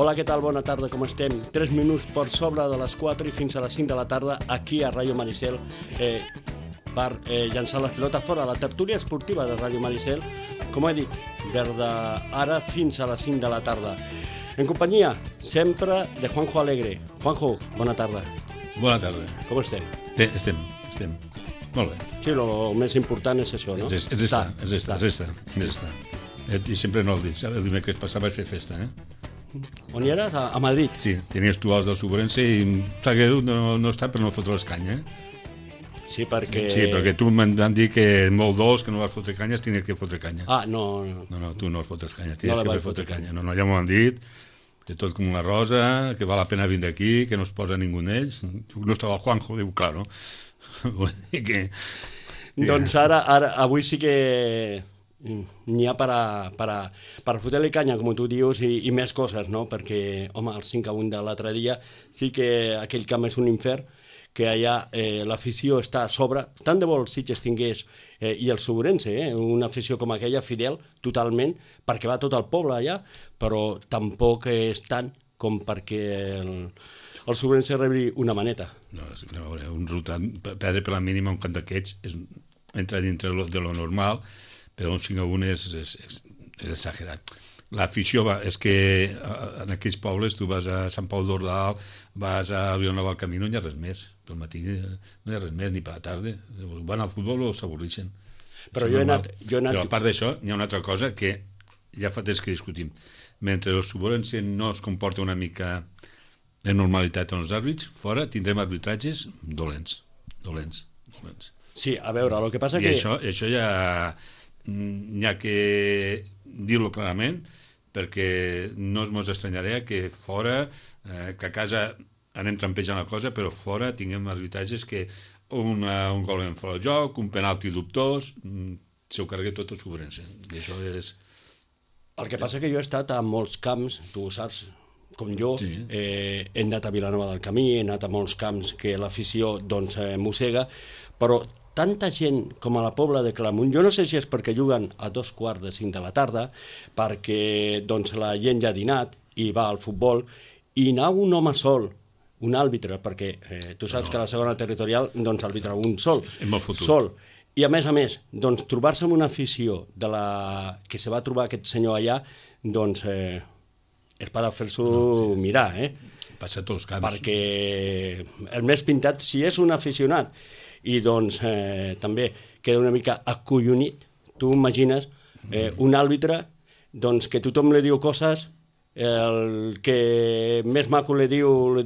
Hola, què tal? Bona tarda, com estem? 3 minuts per sobre de les 4 i fins a les 5 de la tarda aquí a Ràdio Maricel per llançar les pilotes fora. La tertúlia esportiva de Ràdio Maricel, com he dit, des d'ara fins a les 5 de la tarda. En companyia, sempre, de Juanjo Alegre. Juanjo, bona tarda. Bona tarda. Com estem? Estem. Molt bé. Sí, el més important és això, no? És estar. I sempre no el dic. El dimecres passat vaig fer festa, On hi eres? A Madrid? Sí, tenies tu els del Sobrense i em sap greu no està per no fotre les canyes. Sí, perquè... Sí, perquè tu m'han dit que molt dolç, que no vas fotre canyes, tenies que fotre canya. Ah, no. No, tu no vas fotre canyes, tenies que fotre canya. No, ja m'ho han dit, que tot com una rosa, que val la pena vindre aquí, que no es posa ningú d'ells. No estava el Juanjo, diu, claro. Vull dir que... Doncs ara, avui sí que... n'hi ha per fotre-li canya, com tu dius, i més coses, no? Perquè, home, el 5-1 de l'altre dia sí que aquell camp és un infern, que allà l'afició està a sobre. Tant de bo el Sitges tingués, i el Sobrense, una afició com aquella, fidel, totalment, perquè va tot el poble allà, però tampoc és tant com perquè el Sobrense rebi una maneta. No, a veure, un rotant, perdre per la mínima un camp d'aquests entra dintre de lo normal, però un 5-1 és exagerat. L'afició és que en aquells pobles tu vas a Sant Pau d'Ordal, vas a Vilanova del Camí, no hi ha res més. Pel matí no hi ha res més, ni per la tarda. Van al futbol o s'avorreixen. Però jo he anat... Però a part d'això, hi ha una altra cosa que ja fa temps que discutim. Mentre el Sobrense no es comporta una mica de normalitat en els àrbits, fora tindrem arbitratges dolents. Sí, a veure, el que passa que... I això ja... n'hi ha que dir-lo clarament, perquè no es estranyarà que fora, que a casa anem trampejant la cosa, però fora tinguem arbitratges que un gol en fora del joc, un penalti dubtós, s'ho carregui tot el Sobrense. I això és... El que passa que jo he estat a molts camps, tu ho saps, com jo, sí. He anat a Vilanova del Camí, he anat a molts camps que l'afició doncs mossega, però tanta gent com a la Pobla de Claramunt, jo no sé si és perquè juguen a 4:45 de la tarda, perquè doncs la gent ja ha dinat i va al futbol, i anar un home sol, un àrbitre, perquè tu saps que a la segona territorial doncs arbitra un sol, i a més, doncs trobar-se amb una afició de la que se va trobar aquest senyor allà, doncs és per a fer-s'ho mirar, Passa a tots els camps. Perquè el més pintat, si és un aficionat, i doncs també queda una mica acollonit. Tu imagines un àrbitre doncs, que tothom li diu coses, el que més maco li diu de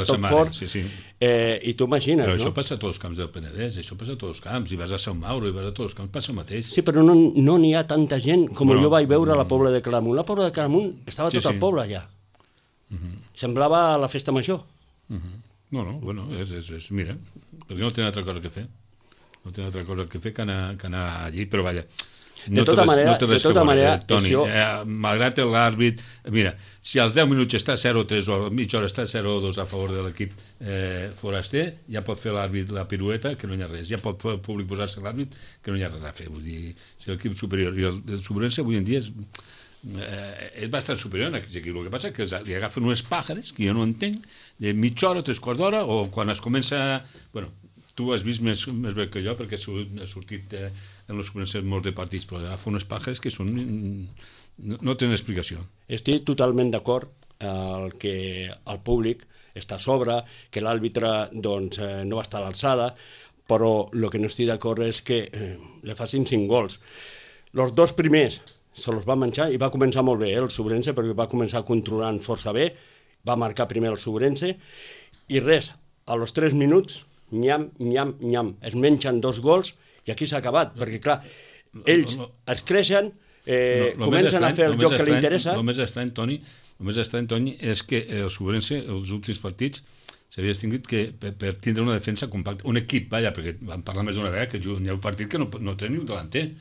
tot fort, i tu imagines, però no? això passa a tots els camps del Penedès, això passa a tots els camps, i vas a Sant Mauro, i vas a tots els camps, passa el mateix. Sí, però no n'hi ha tanta gent com jo vaig veure a la Pobla de Claramunt. La Pobla de Claramunt estava tot el poble allà. Semblava la festa major. Bueno, mira, perquè no tenen altra cosa que fer. No tenen altra cosa que fer que anar allí, però vaja, de tota manera, Toni, malgrat l'àrbit, mira, si als 10 minuts està 0-3 o a mitja hora està 0-2 a favor de l'equip foraster, ja pot fer l'àrbit la pirueta, que no hi ha res, ja pot fer el públic posar-se l'àrbit, que no hi ha res a fer, vull dir, si l'equip superior, i el Sobrense avui en dia és bastant superior a aquests equips. El que passa és que li agafen unes pàjares que jo no entenc, de mitja hora, 3/4 d'hora, o quan es comença... Bueno, tu has vist més bé que jo, perquè ha sortit en els començaments molts de partits, però agafen unes pàjares que són... no tenen explicació. Estic totalment d'acord que el públic està a sobre, que l'àrbitre doncs, no va estar a l'alçada, però el que no estic d'acord és que li facin 5 gols. Els 2 primers se los va menjar i va començar molt bé, el Sobrense, perquè va començar controlant força bé, va marcar primer el Sobrense, i res, a los 3 minuts, nyam, es mengen 2 gols, i aquí s'ha acabat, perquè clar, ells es creixen, comencen a fer el joc que li interessa. El més estrany, Toni, és que el Sobrense, els últims partits, s'havia extingit que per tindre una defensa compacta, un equip, perquè vam parlar més d'una vegada, que hi ha un partit que no té ni un delanter.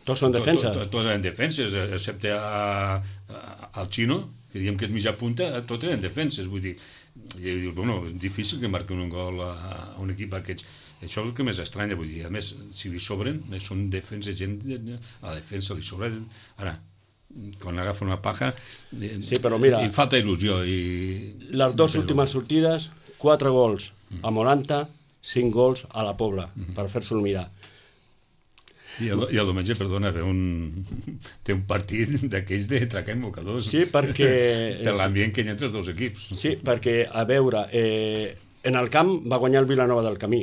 Tots són defenses. Tots eren defenses, excepte al Xino, que diem que és mitja punta, tots eren defenses, vull dir, i dius, bueno, és difícil que marquin un gol a un equip d'aquests. Això és el que més estranya, vull dir, a més, si li sobren, són defenses, gent a la defensa li sobra. Ara, quan agafa una paja, Sí, però mira, i falta il·lusió. Les dues últimes sortides, 4 gols a Moranta, 5 gols a la Pobla, per fer-se'l mirar. I el diumenge, perdona, té un partit d'aquells de tracar invocadors. Sí, perquè... Per l'ambient que hi ha entre els dos equips. Sí, perquè, a veure, en el camp va guanyar el Vilanova del Camí.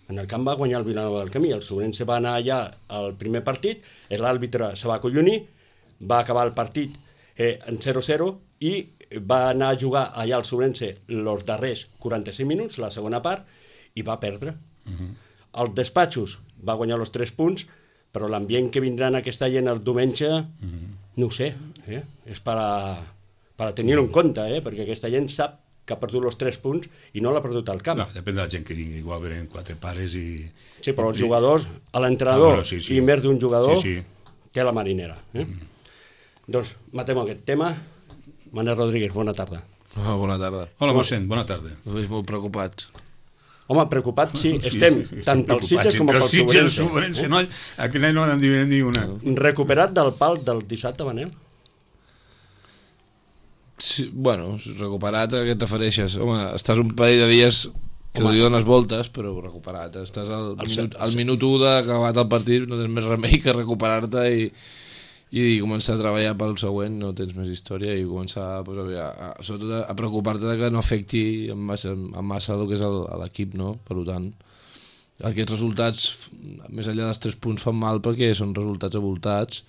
En el camp va guanyar el Vilanova del Camí. El Sobrense va anar allà al primer partit, l'àrbitre se va acollonir, va acabar el partit en 0-0 i va anar a jugar allà al Sobrense els darrers 45 minuts, la segona part, i va perdre. Els despatxos va guanyar els 3 punts, però l'ambient que vindrà en aquesta gent el diumenge, no ho sé, és per a tenir-ho en compte, perquè aquesta gent sap que ha perdut els 3 punts i no l'ha perdut al camp. No, depèn de la gent que vingui, igual venen 4 pares i... Sí, però els jugadors, l'entrenador sí. i més d'un jugador, Sí. té la marinera. Doncs matem aquest tema. Manel Rodríguez, bona tarda. Bona tarda. Hola, mossèn, bona tarda. Us veig molt preocupats. Home, preocupats sí, estem, tant pels Sitges com pels Sobrense. No, aquell any no n'han dividit ni una. Recuperat del pal del dissabte, Manel? Sí, bueno, recuperat a què et refereixes? Home, estàs un parell de dies que li dones voltes, però recuperat. Estàs al minut 1 d'acabat el partit, no tens més remei que recuperar-te i començar a treballar pel següent, no tens més història, i començar sobretot a preocupar-te que no afecti en massa el que és l'equip, no? Per tant, aquests resultats, més enllà dels 3 punts, fan mal perquè són resultats avoltats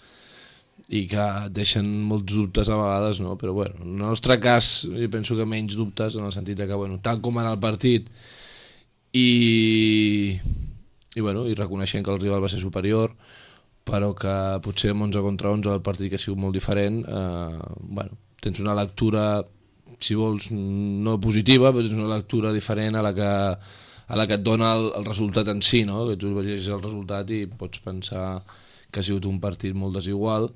i que deixen molts dubtes a vegades, no? Però bueno, en el nostre cas jo penso que menys dubtes, en el sentit que, bueno, tal com anar el partit i reconeixent que el rival va ser superior, però que potser amb 11 contra 11 el partit que ha sigut molt diferent, tens una lectura, si vols, no positiva, però tens una lectura diferent a la que et dona el resultat en si, no? Que tu vegis el resultat i pots pensar que ha sigut un partit molt desigual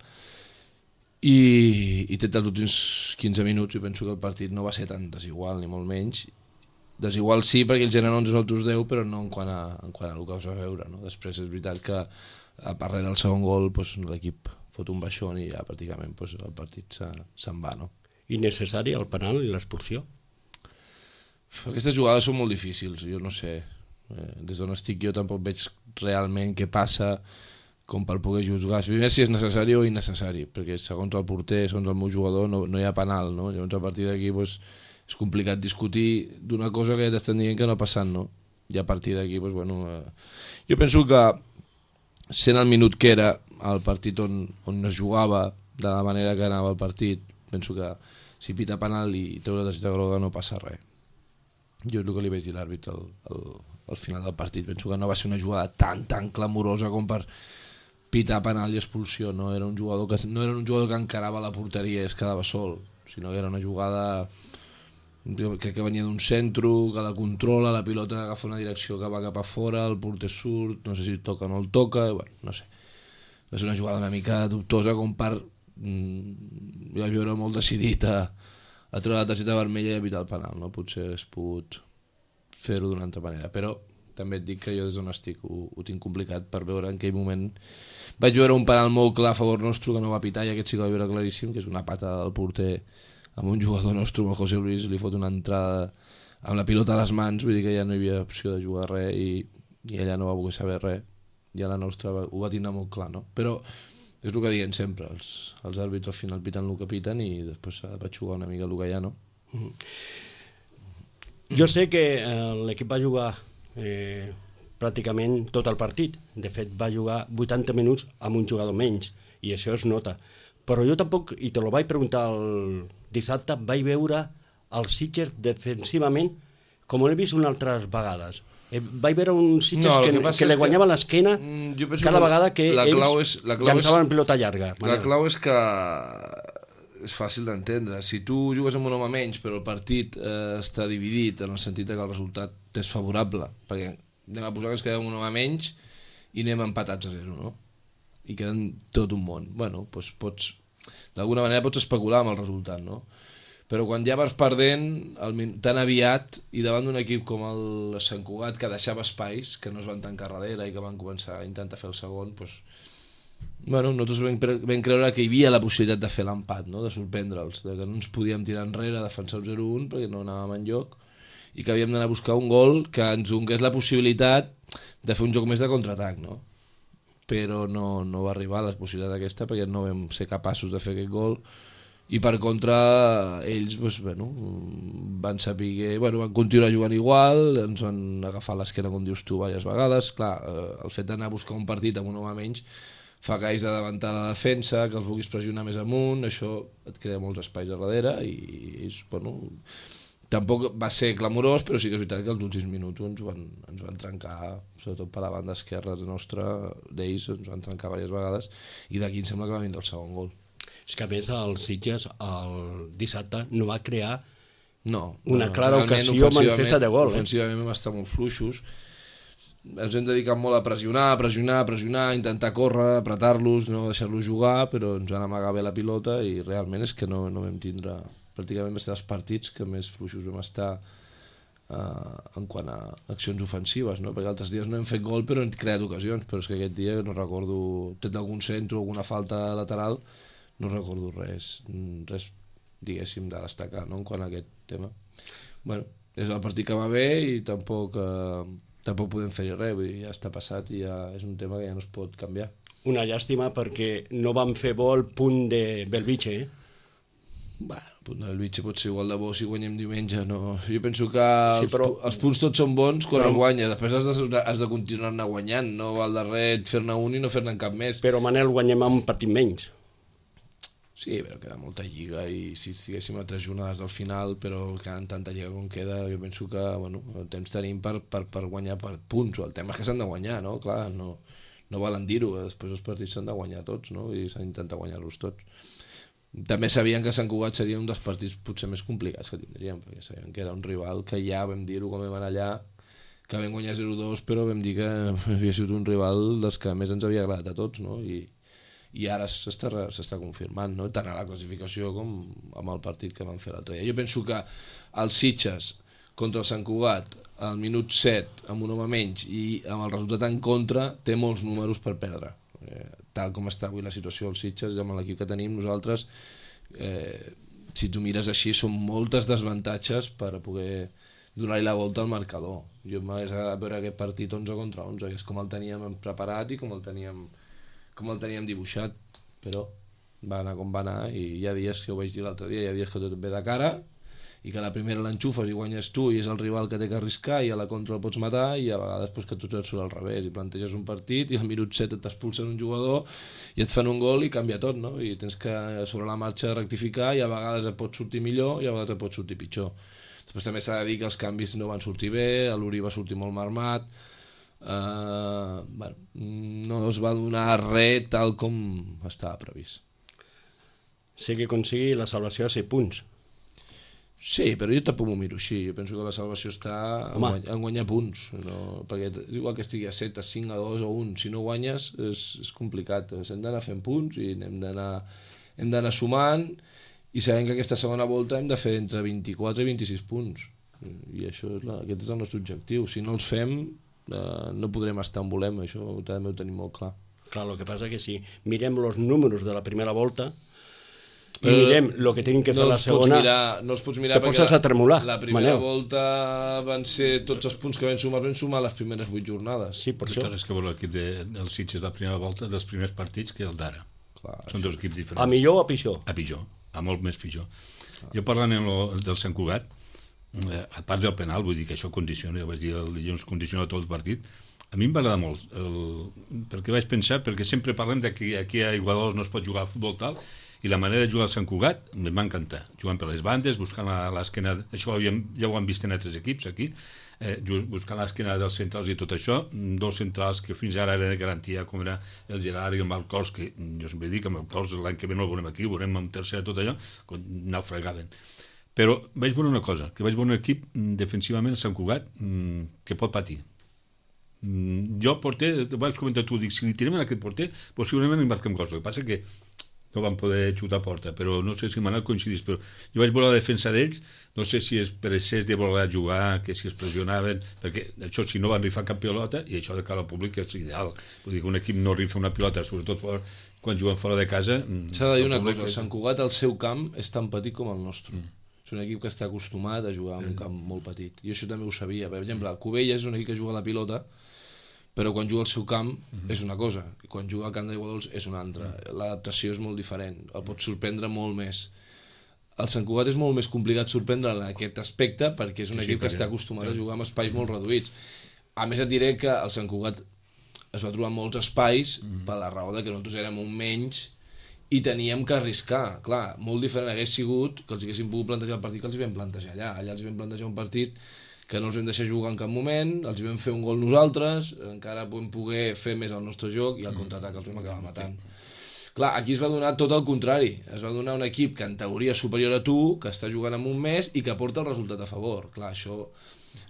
i té els últims 15 minuts i penso que el partit no va ser tan desigual, ni molt menys. Desigual sí, perquè el generen 11 nosaltres 10, però no en quant a el que vas a veure, no? Després és veritat que a part del segon gol l'equip fot un baixón i ja pràcticament el partit se'n va, no? Innecessari el penal i l'expulsió? Aquestes jugades són molt difícils, jo no sé, des d'on estic jo tampoc veig realment què passa com per poder jugar. Primer si és necessari o innecessari, perquè segons el porter, segons el meu jugador no hi ha penal, no? Llavors a partir d'aquí és complicat discutir d'una cosa que ja t'estan dient que no ha passat, no? I a partir d'aquí jo penso que sent el minut que era el partit on es jugava de la manera que anava el partit, penso que si pita penal i treu la targeta groga no passa res. Jo és el que li vaig dir a l'àrbitre al final del partit, penso que no va ser una jugada tan clamorosa com per pitar penal i expulsió, no era un jugador que encarava la porteria i es quedava sol, sinó que era una jugada, crec que venia d'un centro, que la controla, la pilota agafa una direcció que va cap a fora, el porter surt, no sé si toca o no el toca, bueno, no sé. Va ser una jugada una mica dubtosa com per jo vaig veure molt decidit a treure la targeta vermella i evitar el penal, no? Potser hagués pogut fer-ho d'una altra manera, però també et dic que jo des d'on estic ho tinc complicat per veure en aquell moment. Vaig veure un penal molt clar a favor nostre que no va pitar i aquest sí que va veure claríssim, que és una pata del porter amb un jugador nostre, amb el José Luis, li fot una entrada amb la pilota a les mans, vull dir que ja no hi havia opció de jugar res i ella no va voler saber res, i a la nostra ho va tindre molt clar, no? Però és el que diuen sempre, els àrbits al final piten el que piten i després s'ha de patxugar una mica el que hi ha, no? Jo sé que l'equip va jugar pràcticament tot el partit, de fet va jugar 80 minuts amb un jugador menys i això es nota, però jo tampoc, i te lo vaig preguntar el dissabte, vaig veure els Sitges defensivament com ho he vist unes altres vegades. Vaig veure uns Sitges que li guanyaven l'esquena cada vegada que ells llançaven en pilota llarga. La clau és que és fàcil d'entendre. Si tu jugues amb un home menys però el partit està dividit en el sentit que el resultat és favorable, perquè anem a posar que ens quedem un home menys i anem empatats a 0, no? I queden tot un món. Bueno, doncs pots, d'alguna manera pots especular amb el resultat, no? Però quan ja vas perdent tan aviat i davant d'un equip com el Sant Cugat que deixava espais, que no es van tancar darrere i que van començar a intentar fer el segon, doncs Bueno, nosaltres vam creure que hi havia la possibilitat de fer l'empat, no? De sorprendre'ls, de que no ens podíem tirar enrere, defensar el 0-1 perquè no anàvem enlloc i que havíem d'anar a buscar un gol que ens donés la possibilitat de fer un joc més de contraatac, no? Però no va arribar la possibilitat aquesta perquè no vam ser capaços de fer aquest gol i per contra ells doncs, van saber, van continuar jugant igual, ens van agafar l'esquena com dius tu diverses vegades. Clar, el fet d'anar a buscar un partit amb un home menys fa que hagis de davantar la defensa, que els vulguis pressionar més amunt, això et crea molts espais a darrere i tampoc va ser clamorós, però sí que és veritat que els últims minuts ens van trencar, sobretot per la banda esquerra nostra, d'ells ens van trencar diverses vegades i d'aquí em sembla que va vindre el segon gol. És que a més el Sitges el dissabte no va crear una clara ocasió manifesta de gol. Ofensivament vam estar molt fluixos, ens hem dedicat molt a pressionar, intentar córrer, apretar-los, no deixar-los jugar, però ens van amagar bé la pilota i realment és que no vam tindre, pràcticament va ser dels partits que més fluixos vam estar en quant a accions ofensives, no? Perquè altres dies no hem fet gol però hem creat ocasions, però és que aquest dia no recordo, tret d'algun centre o alguna falta lateral, no recordo res diguéssim de destacar, no? En quant a aquest tema. Bueno, és el partit que va bé i tampoc podem fer-hi res, vull dir, ja està passat i ja és un tema que ja no es pot canviar. Una llàstima perquè no vam fer bo el punt de Belvitge, Bueno, el punt de Belvitge pot ser igual de bo si guanyem diumenge, no? Jo penso que els punts tots són bons quan els guanya, després has de continuar anar guanyant, no val de res fer-ne un i no fer-ne cap més. Però Manel, guanyem amb un partit menys. Sí, però queda molta lliga i si estiguéssim a 3 jornades del final, però quedant tanta lliga com queda, jo penso que el temps tenim per guanyar per punts, el tema és que s'han de guanyar, no? Clar, no valen dir-ho, després els partits s'han de guanyar tots, no? I s'han d'intentar guanyar-los tots. També sabien que Sant Cugat seria un dels partits potser més complicats que tindríem, perquè sabien que era un rival que ja vam dir-ho quan vam anar allà, que vam guanyar 0-2, però vam dir que havia sigut un rival dels que més ens havia agradat a tots, no? I ara s'està confirmant, no? Tant a la classificació com amb el partit que van fer l'altre dia. Jo penso que el Sitges contra el Sant Cugat al minut 7 amb un home menys i amb el resultat en contra té molts números per perdre. Tal com està avui la situació del Sitges amb l'equip que tenim nosaltres, si tu mires així són moltes desavantatges per poder donar-hi la volta al marcador. Jo m'hagués agradat veure aquest partit 11 contra 11, que és com el teníem preparat i com el teníem dibuixat, però va anar com va anar i hi ha dies que ho vaig dir l'altre dia, hi ha dies que tot ve de cara i que la primera l'enxufes i guanyes tu i és el rival que té que arriscar i a la contra el pots matar i a vegades que tot et surt al revés i planteges un partit i al minut 7 t'expulsen un jugador i et fan un gol i canvia tot, no? I tens que sobre la marxa rectificar i a vegades et pot sortir millor i a vegades et pot sortir pitjor. Després també s'ha de dir que els canvis no van sortir bé, l'Uri va sortir molt marmat, no es va donar res tal com estava previst. Sé que aconseguir la salvació a 6 punts. Sí, però jo tampoc m'ho miro així. Jo penso que la salvació està en guanyar punts, no? Perquè és igual que estigui a 7, a 5, a 2 o 1. Si no guanyes és complicat. Hem d'anar fent punts i hem d'anar sumant i sabem que aquesta segona volta hem de fer entre 24 i 26 punts. I aquest és el nostre objectiu. Si no els fem no podrem estar on volem, això també ho tenim molt clar. Clar, el que passa que si mirem els números de la primera volta i mirem el que tenim que fer la segona, no els pots mirar te poses a tremolar. La primera volta van ser tots els punts que vam sumar les primeres 8 jornades. Sí, per això. És que l'equip del Sitges de la primera volta dels primers partits que el d'ara. Són dos equips diferents. A millor o a pitjor? A pitjor, a molt més pitjor. Jo parlant del Sant Cugat, a part del penal, vull dir que això condiciona, ja vaig dir el dilluns, condiciona tot el partit. A mi em va agradar molt, perquè vaig pensar, perquè sempre parlem que aquí a Igualadors no es pot jugar a futbol tal, i la manera de jugar al Sant Cugat em va encantar, jugant per les bandes, buscant l'esquena, això ja ho han vist en altres equips aquí, buscant l'esquena dels centrals i tot això, dos centrals que fins ara eren de garantia, com era el Gerard i el Malcors, que jo sempre dic que el Malcors l'any que ve no el veurem aquí, ho veurem en tercera tot allò, naufragaven. Però vaig veure una cosa, que vaig veure un equip defensivament a Sant Cugat que pot patir. Jo, porter, vaig comentar tu, dic, si li tirem en aquest porter, possiblement embarquem coses. El que passa que no van poder xutar a porta, però no sé si Manel coincidís, però jo vaig veure la defensa d'ells, no sé si és per excés de voler jugar, que si es pressionaven, perquè això si no van rifar cap pilota, i això de cara al públic és ideal, vull dir que un equip no rifa una pilota, sobretot quan juguen fora de casa... S'ha de dir una cosa, Sant Cugat al seu camp és tan petit com el nostre. És un equip que està acostumat a jugar en un camp molt petit, i això també ho sabia. Per exemple, Cubelles és un equip que juga a la pilota, però quan juga al seu camp és una cosa, i quan juga al camp d'Aiguadols és una altra. L'adaptació és molt diferent, el pot sorprendre molt més. El Sant Cugat és molt més complicat sorprendre en aquest aspecte perquè és un equip que està acostumat a jugar amb espais molt reduïts. A més et diré que el Sant Cugat es va trobar molts espais per la raó de que nosaltres érem un menys i teníem que arriscar. Clar, molt diferent hagués sigut que els haguéssim pogut plantejar el partit que els vam plantejar allà. Allà els vam plantejar un partit que no els vam deixar jugar en cap moment, els vam fer un gol nosaltres, encara vam poder fer més el nostre joc i el contraatac els vam acabar matant. Clar, aquí es va donar tot el contrari, es va donar un equip que en teoria és superior a tu, que està jugant en un mes i que porta el resultat a favor. Clar, això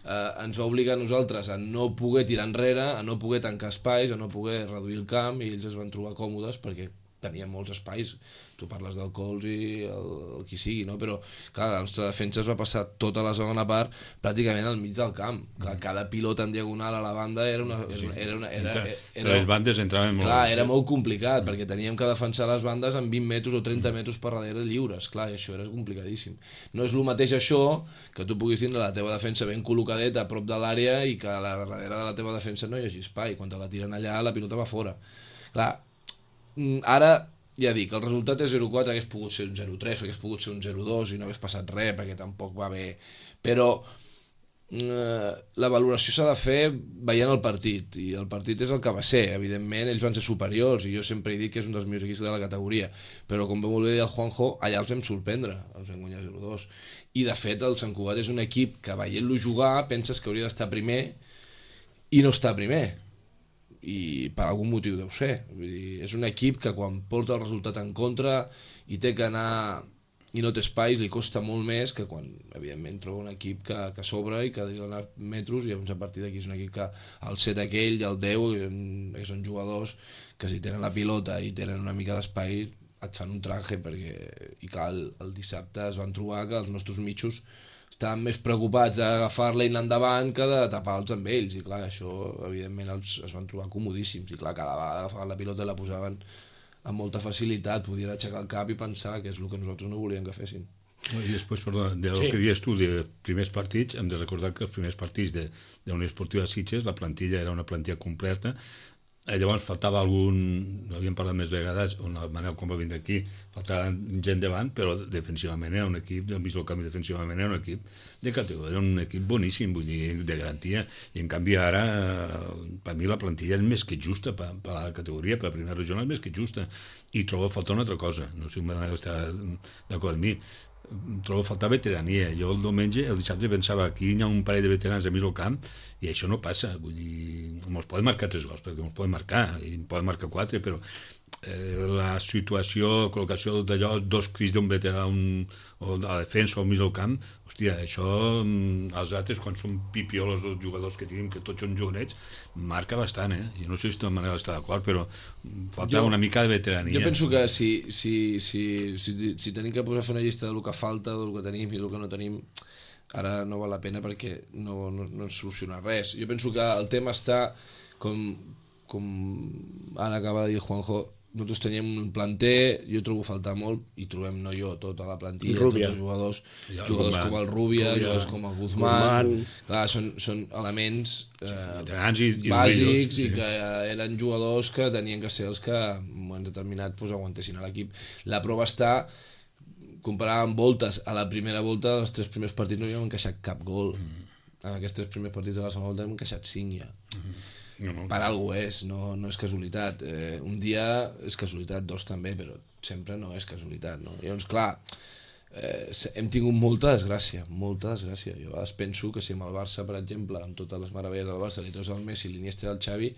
ens va obligar a nosaltres a no poder tirar enrere, a no poder tancar espais, a no poder reduir el camp, i ells es van trobar còmodes perquè tenien molts espais. Tu parles del Cols i el qui sigui, no? Però clar, la nostra defensa es va passar tota la segona part pràcticament al mig del camp. Clar, cada pilota en diagonal a la banda era les bandes entraven molt. Clar, era molt complicat perquè teníem que defensar les bandes amb 20 metres o 30 metres per darrere lliures. Clar, i això era complicadíssim. No és el mateix això que tu puguis tindre la teva defensa ben col·locadeta a prop de l'àrea i que a la darrere de la teva defensa no hi hagi espai. Quan te la tiren allà, la pilota va fora. Clar, ara ja dic, el resultat és 0-4, hagués pogut ser un 0-3, hagués pogut ser un 0-2 i no hagués passat res perquè tampoc va bé, però la valoració s'ha de fer veient el partit, i el partit és el que va ser. Evidentment ells van ser superiors i jo sempre he dit que és un dels millors equips de la categoria, però com va molt bé dir el Juanjo, allà els vam sorprendre, els vam guanyar 0-2, i de fet el Sant Cugat és un equip que veient-lo jugar penses que hauria d'estar primer i no està primer, i per algun motiu deu ser. Vull dir, és un equip que quan porta el resultat en contra i té que anar i no té espais, li costa molt més que quan evidentment troba un equip que s'obre i que li dona metros, i llavors a partir d'aquí és un equip que el 7 aquell i el 10 són jugadors que si tenen la pilota i tenen una mica d'espai et fan un traje, perquè i clar, el dissabte es van trobar que els nostres mitjos estaven més preocupats d'agafar-la i anar endavant que de tapar-los amb ells, i clar, això evidentment es van trobar comodíssims, i clar, cada vegada agafaven la pilota i la posaven amb molta facilitat, podien aixecar el cap i pensar que és el que nosaltres no volíem que fessin. I després, perdona, del que dius tu de primers partits, hem de recordar que els primers partits de la Unió Esportiva Sitges, la plantilla era una plantilla completa. Llavors faltava algun, n'havíem parlat més vegades, on el Manel quan va vindre aquí, faltava gent davant, però defensivament era un equip, del mig del camp defensivament era un equip de categoria, era un equip boníssim, vull dir, de garantia, i en canvi ara, per mi la plantilla és més que justa, per la categoria, per la primera regional és més que justa, i trobo a faltar una altra cosa, no sé si el Manel està d'acord amb mi, trobo a faltar veterania. Jo el dissabte pensava aquí hi ha un parell de veterans a mig del camp i això no passa, vull dir, ens poden marcar 3 gols, perquè ens poden marcar i en poden marcar 4, però la situació, la col·locació d'allò, 2 crits d'un veterà o de la defensa o al mig del camp, hòstia, això els altres quan són pipiolos els jugadors que tenim, que tots són jovenets, marca bastant, jo no sé si de manera està d'acord, però falta una mica de veterania. Jo penso que si tenim que posar a fer una llista del que falta, del que tenim i del que no tenim, ara no val la pena perquè no ens soluciona res. Jo penso que el tema està com ara acaba de dir Juanjo, nosaltres teníem un planter, jo trobo faltar molt, i trobem no jo, tota la plantilla, tots els jugadors com el Rubia, jugadors com el Guzmán, clar, són elements bàsics i que eren jugadors que tenien que ser els que en un moment determinat aguantessin a l'equip. La prova està comparar amb voltes. A la primera volta, els 3 primers partits no hi hem encaixat cap gol. En aquests 3 primers partits de la segona volta hem encaixat 5 ja. Per algú és, no és casualitat. Un dia és casualitat, 2 també, però sempre no és casualitat, no? Llavors, clar, hem tingut molta desgràcia. Jo a vegades penso que si amb el Barça, per exemple, amb totes les meravelles del Barça, li treus el Messi, l'Iniesta i el Xavi,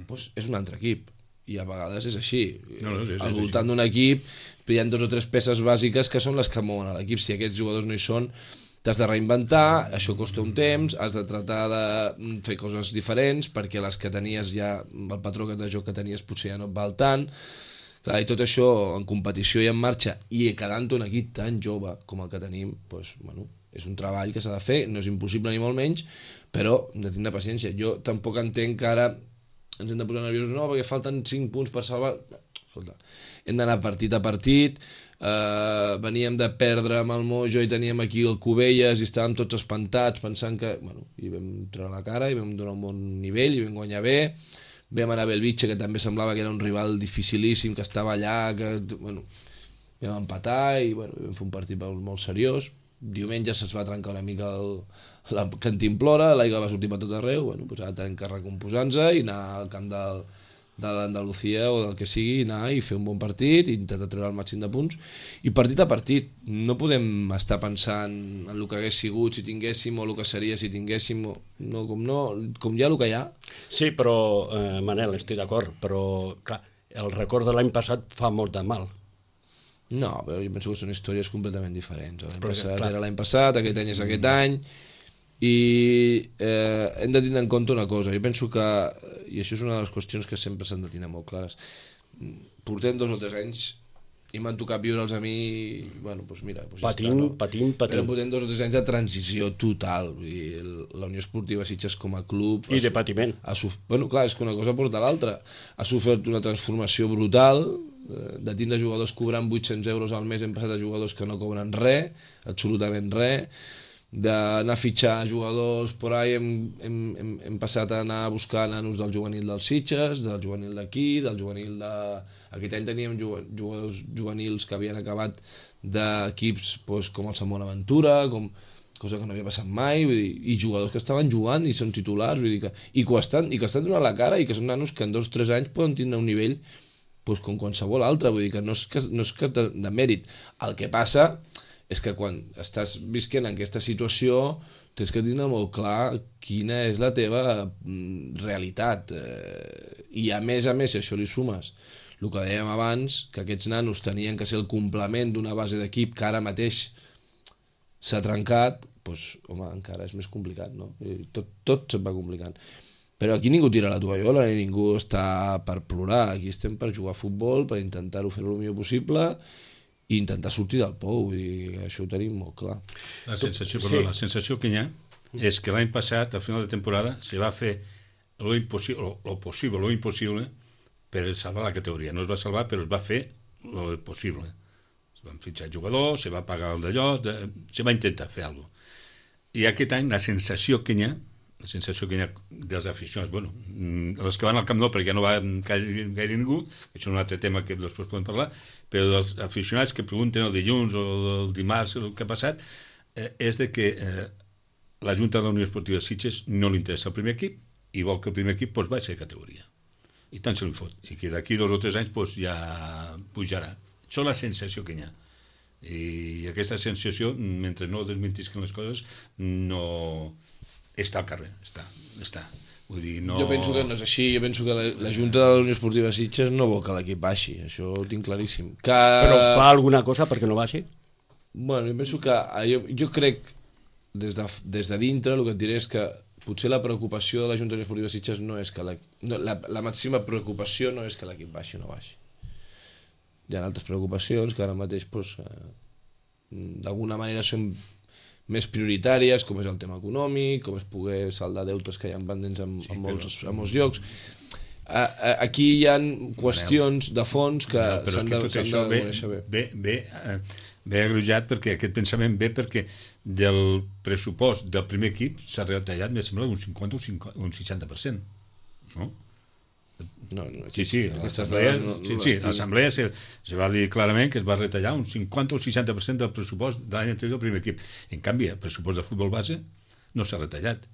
doncs és un altre equip. I a vegades és així. Al voltant d'un equip hi ha 2 o 3 peces bàsiques que són les que mouen a l'equip. Si aquests jugadors no hi són, t'has de reinventar, això costa un temps, has de tratar de fer coses diferents perquè les que tenies ja, el patró de joc que tenies potser ja no et val tant. Clar, i tot això en competició i en marxa, i quedant un equip tan jove com el que tenim, doncs, bueno, és un treball que s'ha de fer, no és impossible ni molt menys, però hem de tindre paciència. Jo tampoc entenc que ara ens hem de posar nerviosos, no, perquè falten 5 punts per salvar. Escolta, hem d'anar partit a partit, veníem de perdre amb el Mojo i teníem aquí el Cubelles i estàvem tots espantats pensant que, bueno, i vam treure la cara i vam donar un bon nivell i vam guanyar bé. Vam anar a Belvitge, que també semblava que era un rival dificilíssim, que estava allà, que, bueno, vam empatar i, bueno, vam fer un partit molt seriós. Diumenge se'ns va trencar una mica la cantimplora, l'aigua va sortir per tot arreu, bueno, doncs ara tenim que recomposar-nos i anar al camp de l'Andalucía o del que sigui, anar i fer un bon partit i intentar treure el màxim de punts i partit a partit. No podem estar pensant en el que hagués sigut si tinguéssim o el que seria si tinguéssim, no, com ja el que hi ha. Sí, però, Manel, estic d'acord, però clar, el record de l'any passat fa molt de mal. No, però jo penso que són històries completament diferents. L'any passat era l'any passat, aquest any és aquest any, i hem de tenir en compte una cosa. Jo penso que, i això és una de les qüestions que sempre s'han de tenir molt clares, portem 2 o 3 anys i m'han tocat viure'ls a mi, bueno, doncs mira, doncs patint. Però portem 2 o 3 anys de transició total. Vull dir, la Unió Esportiva Sitges com a club i de patiment. Bueno, clar, és que una cosa porta l'altra. Ha sofert una transformació brutal, de tindre jugadors cobrant 800 euros al mes hem passat a jugadors que no cobren res, absolutament res, d'anar a fitxar jugadors por ahí hem passat a anar a buscar nanos del juvenil dels Sitges, del juvenil d'aquí, del juvenil de... Aquest any teníem jugadors juvenils que havien acabat d'equips doncs, com el Sant Bonaventura, cosa que no havia passat mai, vull dir, i jugadors que estaven jugant i són titulars, vull dir que, i que estan donant la cara i que són nanos que en 2 o 3 anys poden tindre un nivell doncs, com qualsevol altre, vull dir que no és que de mèrit. El que passa és que quan estàs visquent en aquesta situació tens que tenir molt clar quina és la teva realitat. I a més, si això li sumes el que dèiem abans, que aquests nanos tenien que ser el complement d'una base d'equip que ara mateix s'ha trencat, doncs, home, encara és més complicat, no? Tot se't va complicant. Però aquí ningú tira la tovallola ni ningú està per plorar. Aquí estem per jugar a futbol, per intentar-ho fer el millor possible i intentar sortir del pou, vull dir, això ho tenim molt clar. La sensació que hi ha és que l'any passat, al final de temporada, se va fer lo impossible per salvar la categoria. No es va salvar, però es va fer lo possible. Es van fitxar jugadors, se va pagar el d'allò, se va intentar fer alguna cosa. I aquest any la sensació que hi ha dels aficionats, bueno, els que van al Camp Nou perquè ja no va gaire ningú, això és un altre tema que després podem parlar, però dels aficionats que pregunten el dilluns o el dimarts el que ha passat, és de que la Junta de la Unió Esportiva Sitges no li interessa el primer equip i vol que el primer equip doncs, baixi de categoria. I tant se li fot. I que d'aquí 2 o 3 anys doncs, ja pujarà. Això és la sensació que hi ha. I aquesta sensació, mentre no desmentisquen les coses, no... està al carrer, està. Vull dir, no... Jo penso que no és així, jo penso que la Junta de la Unió Esportiva Sitges no vol que l'equip baixi, això ho tinc claríssim. Però fa alguna cosa perquè no baixi? Bueno, jo penso que... Jo crec, des de dintre, el que et diré és que potser la preocupació de la Junta de la Unió Esportiva Sitges no és que la màxima preocupació no és que l'equip baixi o no baixi. Hi ha altres preocupacions que ara mateix, doncs, d'alguna manera són més prioritàries, com és el tema econòmic, com és poder saldar deutes que hi ha pendents en molts llocs. Aquí hi ha qüestions de fons que s'han de conèixer bé. Ve agreujat perquè aquest pensament ve perquè del pressupost del primer equip s'ha retallat, em sembla, un 50 o un 60%, no? Sí, l'assemblea se va dir clarament que es va retallar un 50 o 60% del pressupost de l'any anterior del primer equip. En canvi, el pressupost de futbol base no s'ha retallat.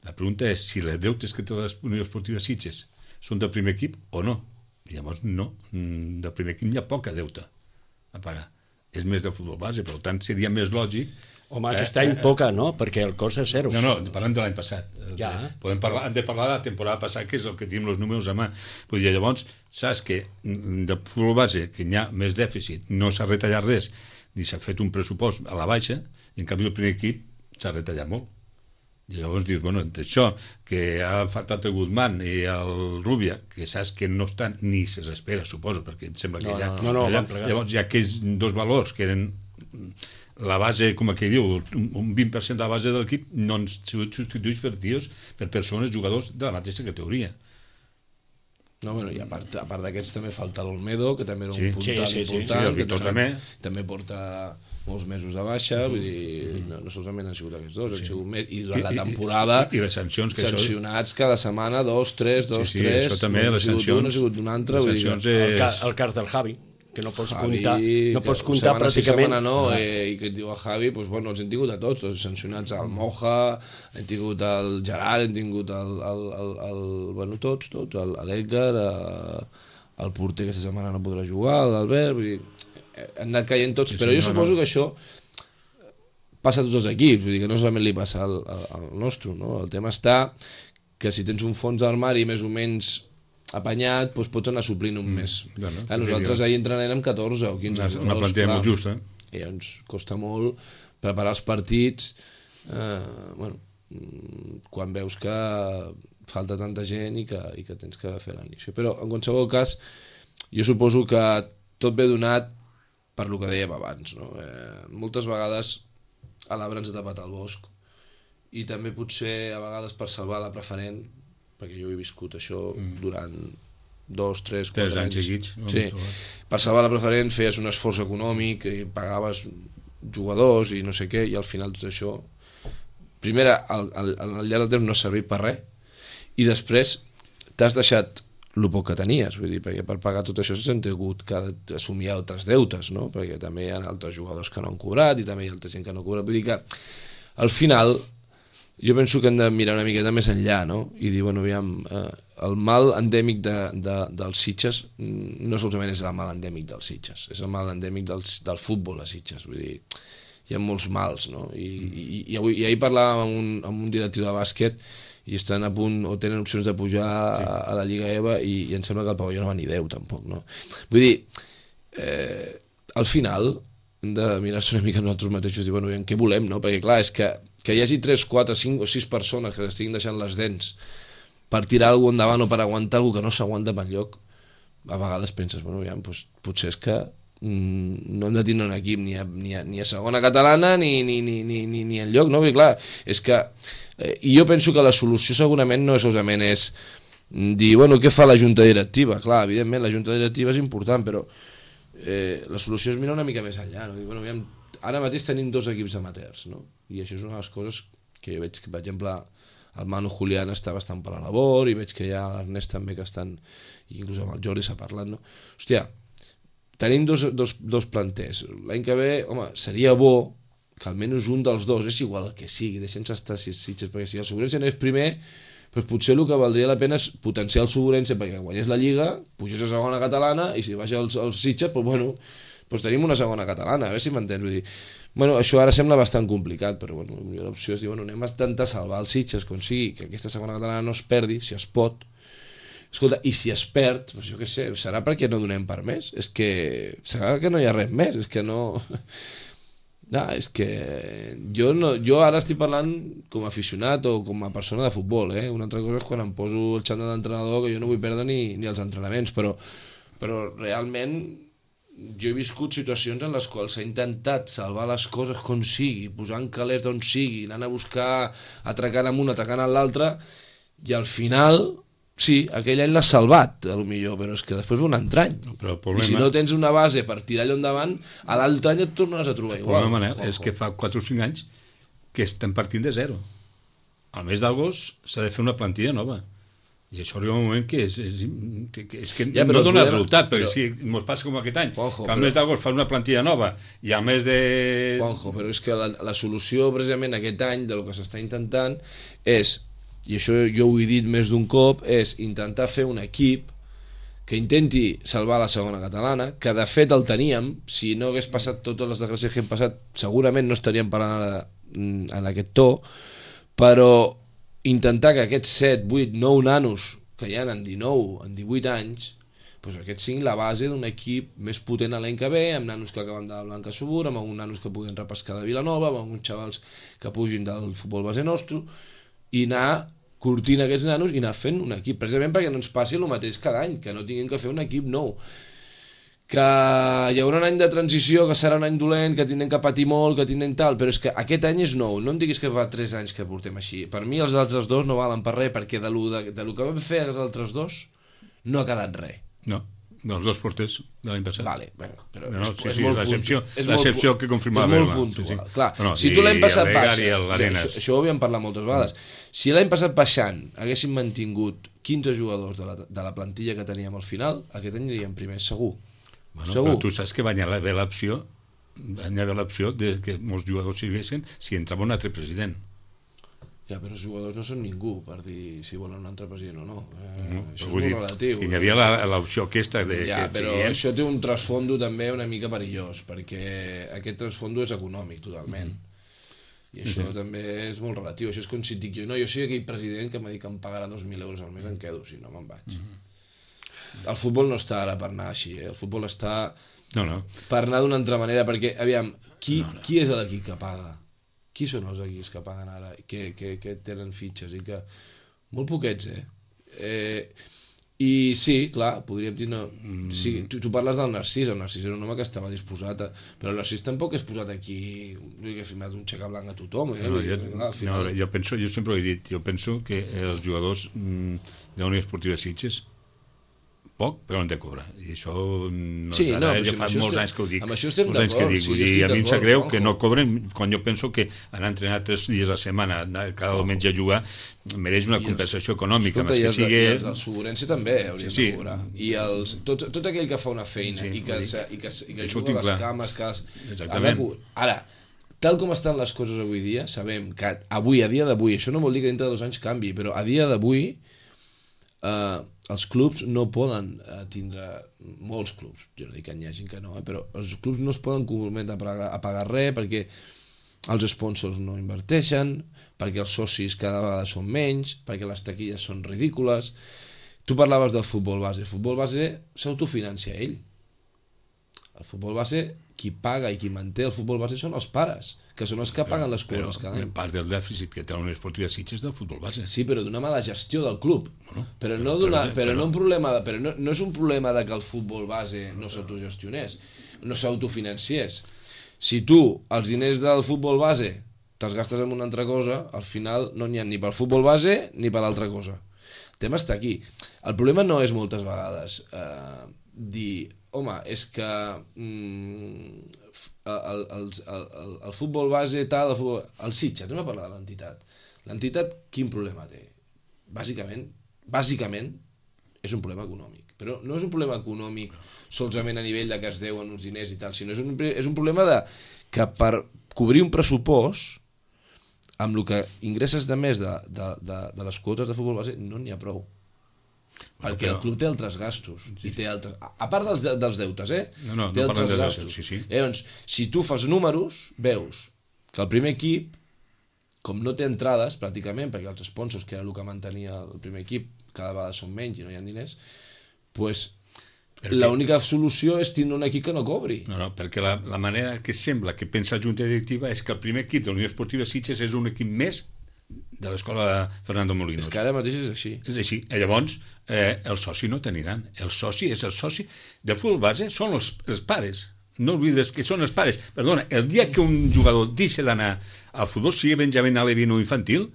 La pregunta és si les deutes que té la Unió Esportiva Sitges són del primer equip o no. Llavors, no. Del primer equip hi ha poca deuta a pagar. És més del futbol base, per tant, seria més lògic. Home, aquest any poca, no? Perquè el cost és 0. No, parlem de l'any passat. Ja. Hem de parlar de la temporada passada, que és el que tenim els números a mà. Vull dir, llavors, saps que de futbol base, que hi ha més dèficit, no s'ha retallat res, ni s'ha fet un pressupost a la baixa, i en canvi el primer equip s'ha retallat molt. I llavors dius, bueno, entre això, que ha faltat el Guzmán i el Rubia, que saps que no estan ni se s'espera, suposo, perquè em sembla que llavors hi ha aquells dos valors que eren la base, com aquell diu, un 20% de la base de l'equip no han sigut substituïts per tios, per persones, jugadors de la mateixa categoria. No, bueno, i a part d'aquests també falta l'Olmedo, que també era un puntal important, que també porta molts mesos de baixa, vull dir, no solament han sigut aquests dos, han sigut més, i durant la temporada i les sancions, que sancionats cada setmana, 2, 3, això també, les sancions, no ha sigut un altre, vull dir, el cas del Javi, que no pots comptar pràcticament. I que et diu el Javi, doncs, bueno, els hem tingut a tots, els sancionats al Moja, hem tingut el Gerard, hem tingut bueno, tots, l'Edgar, el porter aquesta setmana no podrà jugar, l'Albert, vull dir, han anat caient tots, però jo suposo que això passa a tots els equips, vull dir que no solament li passa al nostre, no? El tema està que si tens un fons d'armari més o menys apanyat, doncs pots anar suplint un mes. Nosaltres ahir entrenarem amb 14 o 15 jugadors. Una plantilla molt justa. I ens costa molt preparar els partits, quan veus que falta tanta gent i que tens que fer l'inici. Però en qualsevol cas, jo suposo que tot ve donat per lo que dèiem abans, no? Moltes vegades a l'arbre ens ha tapat el bosc i també potser a vegades per salvar la preferent, perquè jo he viscut això durant 2, 3, 4 anys seguits. Sí. Per salvar la preferent feies un esforç econòmic i pagaves jugadors i no sé què, i al final tot això primer al llarg del temps no ha servit per res i després t'has deixat el poc que tenies, vull dir, perquè per pagar tot això s'han hagut que assumir altres deutes, no? Perquè també hi ha altres jugadors que no han cobrat i també hi ha altra gent que no ha cobrat, vull dir que al final jo penso que hem de mirar una miqueta més enllà, no? I dir, bueno, aviam, el mal endèmic dels Sitges no solament és el mal endèmic dels Sitges, és el mal endèmic del futbol a Sitges, vull dir, hi ha molts mals, no? I ahir parlàvem amb un directiu de bàsquet i estan a punt o tenen opcions de pujar a la Lliga EVA i em sembla que el pavelló no va ni 10 tampoc, no? Vull dir, al final hem de mirar-se una mica nosaltres mateixos i dir, bueno, què volem, no? Perquè clar, és que hi hagi 3, 4, 5 o 6 persones que estiguin deixant les dents per tirar alguna cosa endavant o per aguantar alguna que no s'aguanta per enlloc, a vegades penses, bueno, aviam, doncs, potser és que no hem de tindre un equip ni a segona catalana ni enlloc, no? Perquè clar, és que i jo penso que la solució segurament no solament és dir, bueno, què fa la junta directiva? Clar, evidentment la junta directiva és important, però la solució és mirar una mica més enllà, no? Dir, bueno, aviam, ara mateix tenim 2 equips amateurs, no? I això és una de les coses que jo veig que, per exemple, el Manu Julián està bastant per la labor i veig que hi ha l'Ernest també que estan, i inclús amb el Jordi s'ha parlat, no? Hòstia, tenim dos planters. L'any que ve, home, seria bo que almenys un dels dos, és igual el que sigui, deixem-se estar si Sitges, perquè si el Segurense no és primer, doncs potser el que valdria la pena és potenciar el Segurense perquè guanyés la Lliga, pugés a segona catalana i si baixa els Sitges, doncs bueno, doncs tenim una segona catalana, a veure si m'entens, vull dir, bueno, això ara sembla bastant complicat, però bueno, l'opció és dir, bueno, anem a intentar salvar els Sitges, com sigui, que aquesta segona catalana no es perdi, si es pot. Escolta, i si es perd, doncs jo què sé, serà perquè no donem per més? És que serà que no hi ha res més, és que no... No, és que jo ara estic parlant com a aficionat o com a persona de futbol, una altra cosa és quan em poso el xandall d'entrenador, que jo no vull perdre ni els entrenaments, però realment jo he viscut situacions en les quals s'ha intentat salvar les coses com sigui, posant calés d'on sigui, anant a buscar, atracant amb un, atracant amb l'altre, i al final... Sí, aquell any l'has salvat, potser, però és que després ve un altre any. I si no tens una base per tirar allò endavant, a l'altre any et tornaràs a trobar igual. El problema, Manel, és que fa 4 o 5 anys que estem partint de zero. Al mes d'agost s'ha de fer una plantilla nova. I això arriba un moment que no dona resultat, perquè si ens passa com aquest any, que al mes d'agost fas una plantilla nova i al mes de... Juanjo, però és que la solució precisament aquest any del que s'està intentant és... i això jo ho he dit més d'un cop, és intentar fer un equip que intenti salvar la segona catalana, que de fet el teníem, si no hagués passat totes les desgràcies que hem passat, segurament no estaríem parlant ara en aquest to, però intentar que aquests 7, 8, 9 nanos que hi ha en 19, en 18 anys, doncs aquests siguin la base d'un equip més potent l'any que ve, amb nanos que acaben de la Blanca Subur, amb alguns nanos que puguin repescar de Vilanova, amb alguns xavals que pugin del futbol base nostre. i anar curtint aquests nanos i anar fent un equip, precisament perquè no ens passi el mateix cada any, que no tinguin que fer un equip nou, que hi haurà un any de transició, que serà un any dolent, que tindrem que patir molt, que tindrem tal, però és que aquest any és nou, no em diguis que fa 3 anys que portem així. Per mi els altres dos no valen per res, perquè de lo que vam fer els altres dos no ha quedat res. No, dels dos porters de l'any passat. Vale, bueno, però no, és molt l'excepció que confirmava. És molt puntual. Clar, si tu l'any passat baixes, això ho havíem parlat moltes vegades, si l'any passat baixant haguéssim mantingut 15 jugadors de la plantilla que teníem al final, aquest any aniríem primers, segur. Bueno, però tu saps que va haver l'opció de que molts jugadors siguessin si entrava un altre president. Ja, però els jugadors no són ningú per dir si volen un altre president o no. Això és molt relatiu. I hi havia l'opció aquesta de... Ja, però això té un trasfondo també una mica perillós, perquè aquest trasfondo és econòmic totalment. I això també és molt relatiu. Això és com si et dic jo, no, jo soc aquell president que m'ha dit que em pagarà 2.000 euros al mes, em quedo, si no me'n vaig. El futbol no està ara per anar així, el futbol està per anar d'una altra manera, perquè, aviam, qui és l'equip que paga? Qui són els equips que paguen ara, que tenen fitxes i que... Molt poquets, I sí, clar, podríem dir... No, sí, tu parles del Narcís, el Narcís era un home que estava disposat a... Però el Narcís tampoc és posat aquí, que ha firmat un xeca blanc a tothom, Jo sempre ho he dit, jo penso que els jugadors de la Unió Esportiva Sitges poc, però no han de cobrar. I això ja fa molts anys que ho dic. Amb això estem d'acord. A mi em sap greu que no cobren, quan jo penso que anar a entrenar 3 dies a la setmana, cada diumenge a jugar, mereix una compensació econòmica. Escolta, i els del Suburense també haurien de cobrar. I tot aquell que fa una feina i que juga a les cames... Ara, tal com estan les coses avui dia, sabem que avui, a dia d'avui, això no vol dir que dintre de 2 anys canvi, però a dia d'avui els clubs no poden tindre, molts clubs, jo no dic que n'hi hagi que no, però els clubs no es poden comprometre a pagar res perquè els sponsors no inverteixen, perquè els socis cada vegada són menys, perquè les taquilles són ridícules. Tu parlaves del futbol base. El futbol base s'autofinancia ell. El futbol base, qui paga i qui manté el futbol base són els pares, que són els que paguen les quotes cada any. Però part del dèficit que té la Unió Esportiva Sitges del futbol base. Sí, però d'una mala gestió del club. Però no és un problema de que el futbol base no s'autogestionés, no s'autofinanciés. Si tu els diners del futbol base te'ls gastes en una altra cosa, al final no n'hi ha ni pel futbol base ni per l'altra cosa. El tema està aquí. El problema no és moltes vegades dir... Home, és que el futbol base tal, el Sitges, anem a parlar de l'entitat. L'entitat quin problema té? Bàsicament és un problema econòmic, però no és un problema econòmic solament a nivell de que es deuen uns diners i tal, sinó és un problema de que per cobrir un pressupost amb el que ingresses de més de les quotes de futbol base no n'hi ha prou. Perquè el club té altres gastos i té altres... a part dels deutes, té altres gastos. Llavors, si tu fas números, veus que el primer equip, com no té entrades pràcticament, perquè els sponsors, que era el que mantenia el primer equip, cada vegada són menys i no hi ha diners, doncs l'única solució és tindre un equip que no cobri. No, perquè la manera que sembla que pensa la Junta Directiva és que el primer equip de la Unió Esportiva Sitges és un equip més de l'escola de Fernando Molinos. És que ara mateix és així. És així. Llavors, el soci no t'aniran. El soci del futbol base, són els pares. No oblides que són els pares. Perdona, el dia que un jugador deixa d'anar al futbol, sigui Benjamín Alevín o infantil,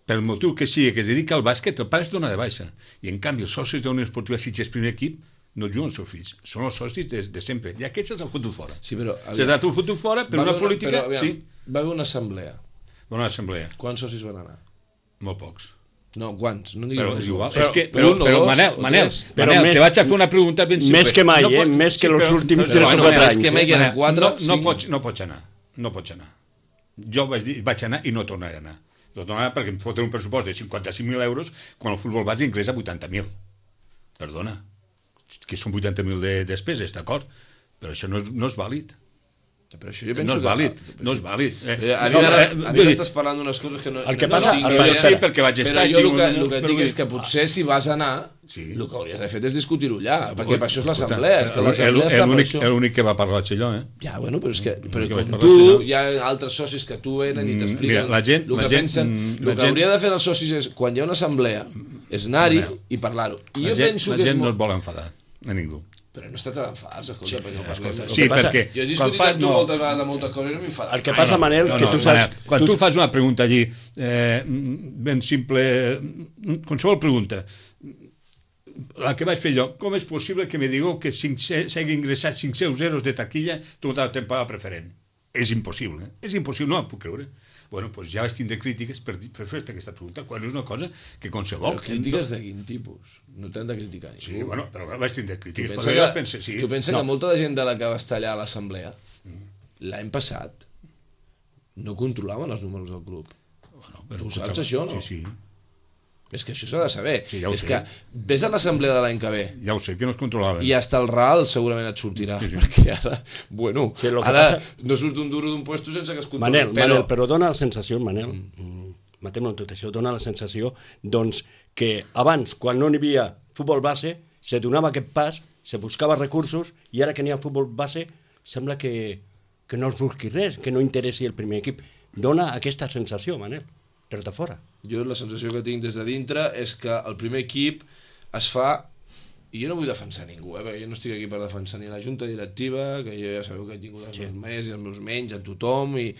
pel motiu que sigui que es dedica al bàsquet, el pare es dona de baixa. I en canvi, els socis de la Unió Esportiva Sitges primer equip no juguen els seus fills, són els socis de sempre. I aquests se'ls han fotut fora. Sí, però... Se'ls han fotut fora per una política... Va haver una assemblea. Bona assemblea. Quants socis van anar? Molt pocs. No, quants? No però és igual. Però Manel, te vaig a fer una pregunta ben simple. Més que mai, més que els últims 3 o 4 anys. Més que mai, que eren 4, no pots anar. No pots anar. Jo vaig anar i no tornaré a anar. No tornaré perquè em foten un pressupost de 55.000 euros quan el futbol base ingressa 80.000. Perdona, que són 80.000 de despeses, d'acord? Però això no és vàlid. Però això jo penso no és vàlid, no és vàlid. A mi m'estàs parlant d'unes coses que no... El que passa... Sí, perquè vaig estar... Però jo el que et dic és que potser si vas anar, el que hauries de fer és discutir-ho allà, perquè per això és l'assemblea, és que l'assemblea està per això. L'únic que va parlar allò, Ja, bueno, però és que com tu, hi ha altres socis que tu venen i t'expliquen el que pensen. El que hauria de fer els socis és, quan hi ha una assemblea, és anar-hi i parlar-ho. I jo penso que la gent no es vol enfadar, a ningú. Però no es tracta d'enfadar-se, escolta, perquè no parlem. Sí, perquè... Jo he discutit amb tu moltes vegades de moltes coses i no m'enfadat. El que passa, Manel, que tu saps... Quan tu fas una pregunta allí, ben simple, qualsevol pregunta, la que vaig fer jo, com és possible que me digueu que s'hagi ingressat 500 euros de taquilla tota la temporada preferent? És impossible, no ho puc creure. Bueno, doncs ja vaig tindre crítiques per fer-te aquesta pregunta, quan és una cosa que qualsevol... Però crítiques de quin tipus? No t'han de criticar ningú. Sí, bueno, però vaig tindre crítiques. Tu penses que molta de gent de la que va estar allà a l'assemblea, l'any passat, no controlaven els números del club. Tu saps això, no? Sí. És que això s'ha de saber. Sí, ja ho sé. Que vés a l'assemblea de l'any que ve. Ja ho sé, que no es controlaven. I hasta el RAL segurament et sortirà. Sí. Perquè ara, bueno, no surt un duro d'un puesto sense que es controli. Manel, però dona la sensació, Manel, matem-lo en tot això, dona la sensació, doncs, que abans, quan no n'hi havia futbol base, se donava aquest pas, se buscava recursos, i ara que n'hi ha futbol base, sembla que no es busqui res, que no interessi el primer equip. Dona aquesta sensació, Manel, des de fora. Jo la sensació que tinc des de dintre és que el primer equip es fa, i jo no vull defensar ningú, perquè jo no estic aquí per defensar ni la junta directiva, que jo ja sabeu que he tingut els meus més i els meus menys, a tothom, i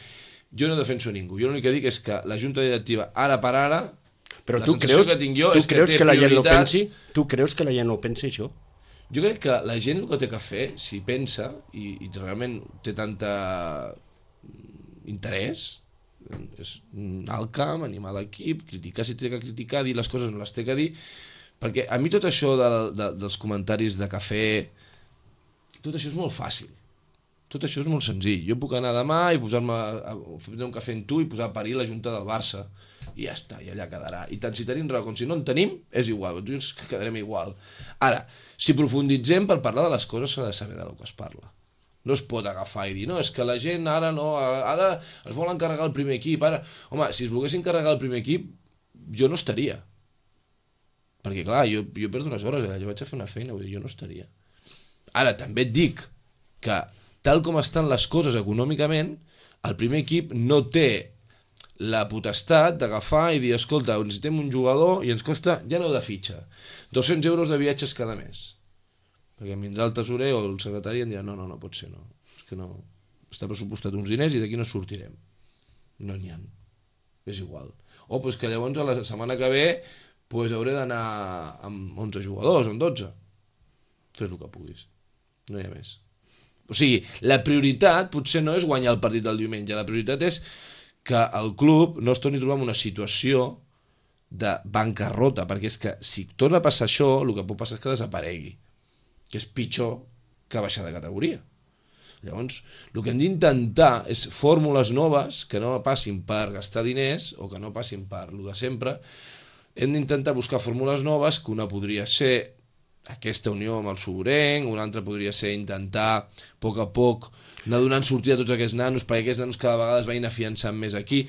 jo no defenso ningú. Jo l'únic que dic és que la junta directiva, ara per ara, però la sensació que tinc jo és que té prioritats... Tu creus que la gent no pensi això? Jo crec que la gent el que té que fer, si pensa, i realment té tanta interès, és anar al camp, animar l'equip, criticar si té que criticar, dir les coses no les té que dir, perquè a mi tot això dels comentaris de cafè, tot això és molt fàcil, tot això és molt senzill. Jo puc anar demà i posar-me a fer un cafè amb tu i posar a parir la junta del Barça, i ja està, i allà quedarà. I tant si tenim raó com si no en tenim, és igual, tu ens quedarem igual. Ara, si profunditzem per parlar de les coses s'ha de saber del que es parla. No es pot agafar i dir, no, és que la gent ara no, ara es vol encarregar el primer equip, ara... Home, si es volguessin encarregar el primer equip, jo no estaria. Perquè, clar, jo perdo unes hores, jo vaig a fer una feina, vull dir, jo no estaria. Ara, també et dic que, tal com estan les coses econòmicament, el primer equip no té la potestat d'agafar i dir, escolta, necessitem un jugador i ens costa, ja no de fitxa, 200 euros de viatges cada mes. Perquè em vindrà el tesorer o el secretari i em dirà no pot ser, no. És que no, està pressupostat uns diners i d'aquí no sortirem. No n'hi ha. És igual. O doncs que llavors a la setmana que ve hauré d'anar amb 11 jugadors, amb 12. Fes el que puguis. No hi ha més. O sigui, la prioritat potser no és guanyar el partit del diumenge, la prioritat és que el club no es torni a trobar en una situació de bancarrota, perquè és que si torna a passar això, el que pot passar és que desaparegui, que és pitjor que baixar de categoria. Llavors, el que hem d'intentar és fórmules noves que no passin per gastar diners o que no passin per lo de sempre. Hem d'intentar buscar fórmules noves, que una podria ser aquesta unió amb el Soborenc, una altra podria ser intentar a poc anar donant sortida a tots aquests nanos, perquè aquests nanos cada vegada es vagin afiançant més aquí,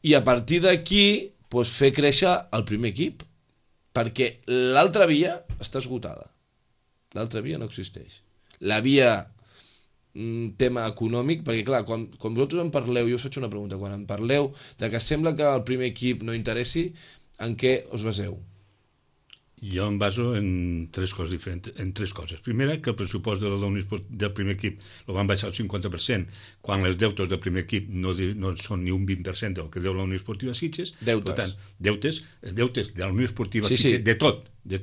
i a partir d'aquí fer créixer el primer equip, perquè l'altra via està esgotada. L'altra via no existeix. La via tema econòmic, perquè clar, quan vosaltres en parleu, jo us faig una pregunta, quan en parleu de que sembla que el primer equip no interessi, en què us baseu? Jo em baso en tres coses diferents, en tres coses. Primera, que el pressupost del primer equip el van baixar al 50%, quan els deutes del primer equip no són ni un 20% del que deu la Unió Esportiva Sitges. Deutes. Per tant, deutes de la Unió Esportiva Sitges, de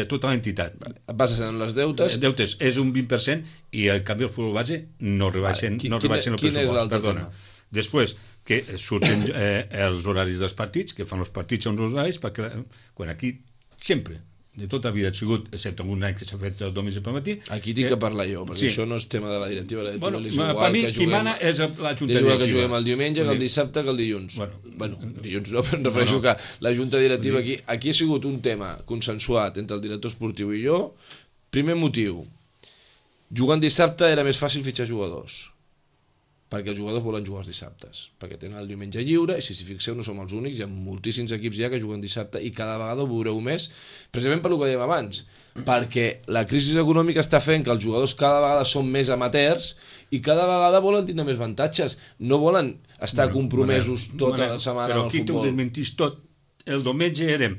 tota l'entitat. Bases en les deutes. Deutes és un 20% i al canvi el futbol base no rebaixen el pressupost. Quin és l'altre tema? Després, que surten els horaris dels partits, que fan els partits a uns horaris, perquè quan aquí sempre, de tota la vida ha sigut, excepte un any que s'ha fet el diumenge pel matí. Aquí tinc que parlar jo, perquè això no és tema de la directiva. La directiva és igual per mi, qui mana és la Junta Directiva. És igual que juguem el diumenge, que el dissabte, que el dilluns. Bueno, dilluns no, però em refereixo que la Junta Directiva aquí ha sigut un tema consensuat entre el director esportiu i jo. Primer motiu, jugant dissabte era més fàcil fitxar jugadors. perquè els jugadors volen jugar els dissabtes, perquè tenen el diumenge lliure, i si s'hi fixeu no som els únics, hi ha moltíssims equips ja que juguen dissabte, i cada vegada ho veureu més, precisament per el que dèiem abans, perquè la crisi econòmica està fent que els jugadors cada vegada són més amateurs i cada vegada volen tenir més avantatges, no volen estar compromesos tota la setmana amb el futbol. Però aquí t'ho desmentís tot. El diumenge érem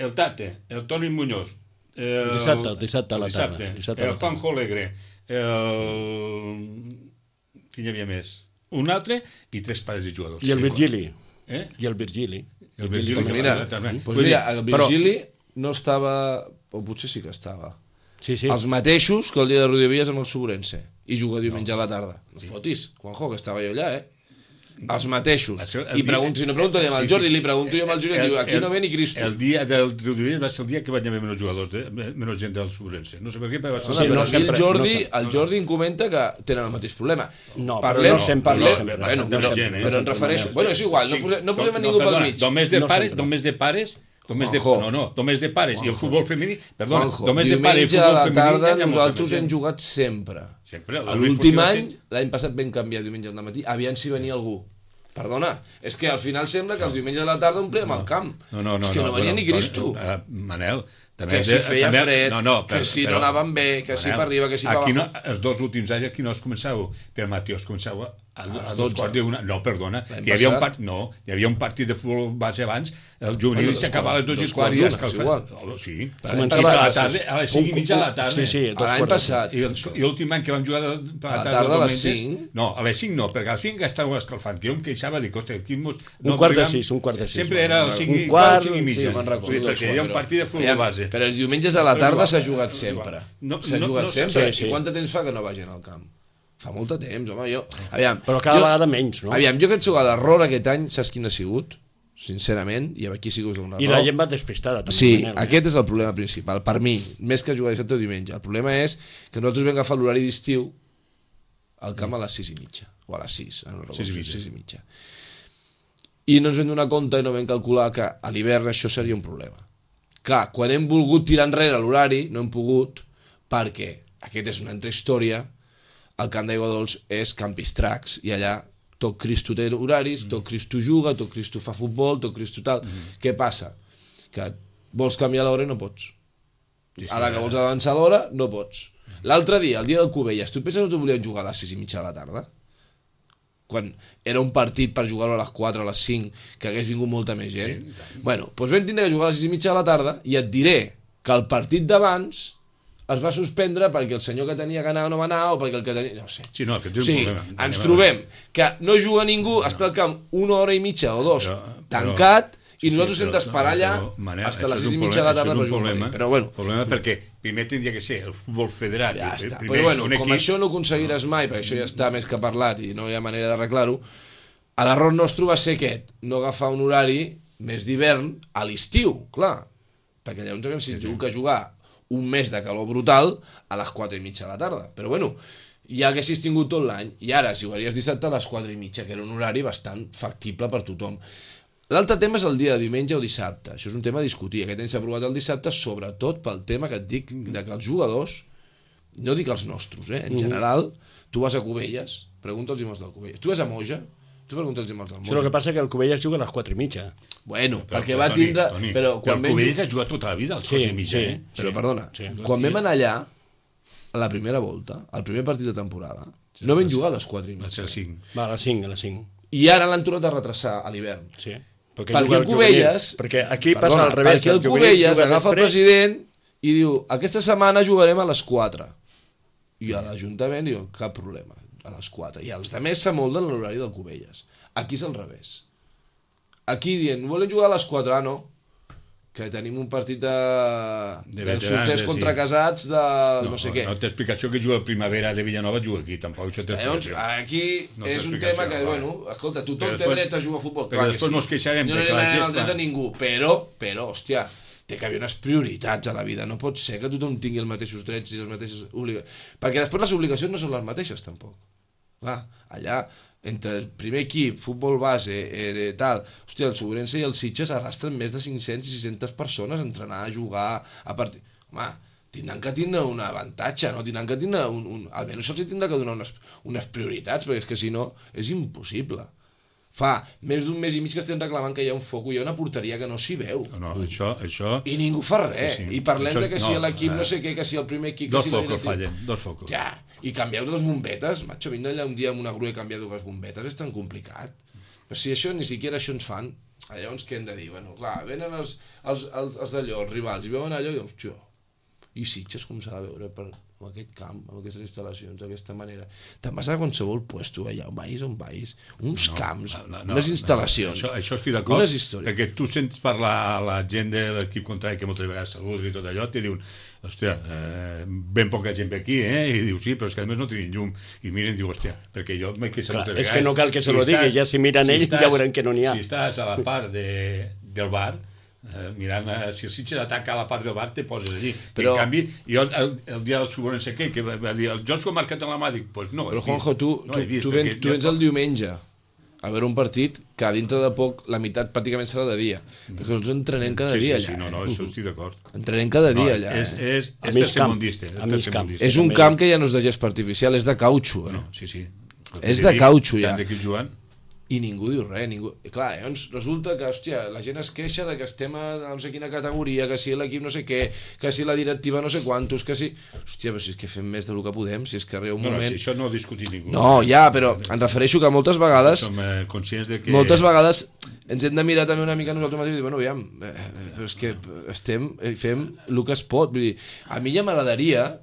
el Tate, el Toni Muñoz, el dissabte a la tarda, el Juanjo Alegre, qui hi havia més? Un altre i 3 pares de jugadors. I el Virgili. I el Virgili. El Virgili. Mira, el Virgili no estava, o potser sí que estava, els mateixos que el dia de Rodiovies amb el Sobrense, i juga diumenge a la tarda. No fotis, Juanjo, que estava jo allà, els mateixos. I si no pregunto al Jordi, li pregunto jo al Jordi, diu, aquí no ve ni Cristo. El dia del Rodiovies va ser el dia que vaig haver menys jugadors, menys gent del Sobrense. No sé per què, però va ser el Jordi em comenta que tenen el mateix problema. No, però em refereixo... Bueno, és igual, no posem a ningú pel mig. Només de pares i el futbol femení, perdona, només de pares i diumenge el a futbol la tarda femení nosaltres hem jugat sempre. L'últim any, l'any passat vam canviar diumenge al matí, aviam si venia algú. Perdona, és que al final sembla que els diumenges a la tarda omplíem el camp. És que no venia ni Cristo. Manel, que si feia fred, que si no anaven bé, que si per arriba, que si per abajo. Els 2 últims anys aquí no es començava per matí, es començava a 2 quarts d'una. No, perdona, hi havia un partit de futbol base abans, el juvenil s'acabava a les 2 i quart i escalfava. Sí, a les 5 i mitja de la tarda. L'any passat. I l'últim any que vam jugar a la tarda a les 5? No, a les 5 no, perquè a les 5 estàvem escalfant, que jo em queixava de que un quart de 6. Sempre era a les 5 i quart, 5 i mitja, perquè hi havia un partit de futbol base. Però els diumenges a la tarda s'ha jugat sempre. S'ha jugat sempre. I quant de temps fa que no vagin al camp? Fa molt de temps, home, jo... Però cada vegada menys, no? Jo penso que l'error aquest any, saps quin ha sigut? Sincerament, i aquí sí que us dono una raó. I la gent va despistada, també. Sí, aquest és el problema principal, per mi, més que jugar dissabte o diumenge. El problema és que nosaltres vam agafar l'horari d'estiu al camp a les 6 i mitja, o a les 6, no recordo, 6 i mitja. I no ens vam donar compte i no vam calcular que a l'hivern això seria un problema. Clar, quan hem volgut tirar enrere l'horari, no hem pogut, perquè aquesta és una altra història. El camp d'Aigua Dols és Campistrax, i allà tot Cristo té horaris, tot Cristo juga, tot Cristo fa futbol, tot Cristo tal. Què passa? Que vols canviar l'hora i no pots. A la que vols avançar l'hora, no pots. L'altre dia, el dia del Cubelles, tu penses que no volien jugar a les 6 i mitja de la tarda? Quan era un partit per jugar-ho a les 4, a les 5, que hagués vingut molta més gent. Bueno, doncs vam tindre que jugar a les 6 i mitja de la tarda, i et diré que el partit d'abans es va suspendre perquè el senyor que tenia que anar no va anar, o perquè el que tenia... No sé. Sí, no, aquest és un problema. Ens trobem que no juga ningú, està al camp 1 hora i mitja o 2 tancat, i nosaltres hem d'esperar allà fins a les 6 i mitja de la tarda per jugar. Però bueno... problema perquè primer tindria que ser el futbol federat. Ja està. Però bueno, com això no aconseguiràs mai, perquè això ja està més que parlat i no hi ha manera d'arreglar-ho, l'error nostre va ser aquest, no agafar un horari més d'hivern a l'estiu, clar. Perquè llavors havíem tingut que jugar un mes de calor brutal a les 4 i mitja de la tarda. Però bueno, ja haguessis tingut tot l'any, i ara si ho haries dissabte a les 4 i mitja, que era un horari bastant factible per tothom. L'altre tema és el dia de diumenge o dissabte. Això és un tema a discutir. Aquest any s'ha aprovat el dissabte, sobretot pel tema que et dic de que els jugadors, no dic els nostres, en general, tu vas a Cubelles, pregunta'ls els del Cubelles. Tu vas a Moja, tu pregunta'ls els del Moja. El que passa que el Cubelles juga a les 4 i mitja. Bueno, perquè va tindre... Però el Cubelles ha jugat tota la vida als 4 i mitja. Però perdona, quan vam anar allà, a la primera volta, al primer partit de temporada, no vam jugar a les 4 i mitja. Va, a les 5. I ara l'han tornat a retrasar a l'hivern. Sí. Perquè el Cubelles... Perquè aquí passa al revés. Perquè el Cubelles agafa el president i diu, aquesta setmana jugarem a les 4. I a l'Ajuntament diu, cap problema, a les 4. I els altres s'amolden l'horari del Cubelles. Aquí és al revés. Aquí dient, volem jugar a les 4, no, que tenim un partit de solters contra casats de no sé què. No té explicació que juga a Primavera de Villanova, juga aquí, tampoc això té explicació. Aquí és un tema que, bueno, escolta, tothom té dret a jugar a futbol. Però després no es queixarem. No li demanem el dret a ningú, però, hòstia, té que haver unes prioritats a la vida. No pot ser que tothom tingui els mateixos drets i les mateixes obligacions. Perquè després les obligacions no són les mateixes, tampoc. Clar, allà, entre el primer equip, futbol base, tal, hòstia, el Sobrense i el Sitges arrastren més de 500 i 600 persones a entrenar, a jugar, a partir... Home, tindran que tindre un avantatge, no? Tindran que tindre almenys se'ls tindrà que donar unes prioritats, perquè és que si no és impossible. Fa més d'un mes i mig que estem reclamant que hi ha un foc, hi ha una porteria que no s'hi veu. No, això... I ningú fa res. Sí. I parlem Això, de que si l'equip no sé què, que si el primer equip... Dos que si focos fallen, dos focos. Ja, i canvieu dos bombetes. Macho, vindre allà un dia amb una grua i canviar dues bombetes és tan complicat. Però si això, ni siquiera això ens fan, llavors què hem de dir? Bueno, clar, venen els d'allò, els rivals, i veuen allò i dius, tio, i Sitges com s'ha de veure amb aquest camp, amb aquestes instal·lacions, d'aquesta manera. Te'n vas a qualsevol puesto, allà on vagis, uns camps, unes instal·lacions. Això estic d'acord, perquè tu sents parlar a la gent de l'equip contrari que moltes vegades saluda i tot allò, i diuen, hòstia, ben poca gent ve aquí, i diu, sí, però és que a més no tenim llum, i miren i diu, hòstia, perquè jo m'he queixat moltes vegades. És que no cal que se lo digui, ja si miren ells ja veuran que no n'hi ha. Si estàs a la part del bar, mirant, si el Sitges ataca a la part del bar te poses allí, però en canvi jo el dia del Suborn que va dir el Jocs ho ha marcat en la mà, dic, pues no, però Juanjo, tu vens el diumenge a veure un partit que a dintre de poc la meitat pràcticament serà de dia, perquè nosaltres entrenem cada dia allà. No, això estic d'acord. Entrenem cada dia allà. És tercermundista. És un camp que ja no és de gespa artificial, és de cautxo. Sí. És de cautxo ja. Tant d'equip jugant. I ningú diu res, ningú... I clar, llavors resulta que, hòstia, la gent es queixa de que estem a no sé quina categoria, que si l'equip no sé què, que si la directiva no sé quantos, que si... Hòstia, però si és que fem més del que podem, si és que arriba un moment... No, si això no ho discutit ningú. No, ja, però em refereixo que moltes vegades... Som conscients de que... Moltes vegades ens hem de mirar també una mica nosaltres mateixos i dir, bueno, aviam, però és que fem el que es pot, vull dir, a mi ja m'agradaria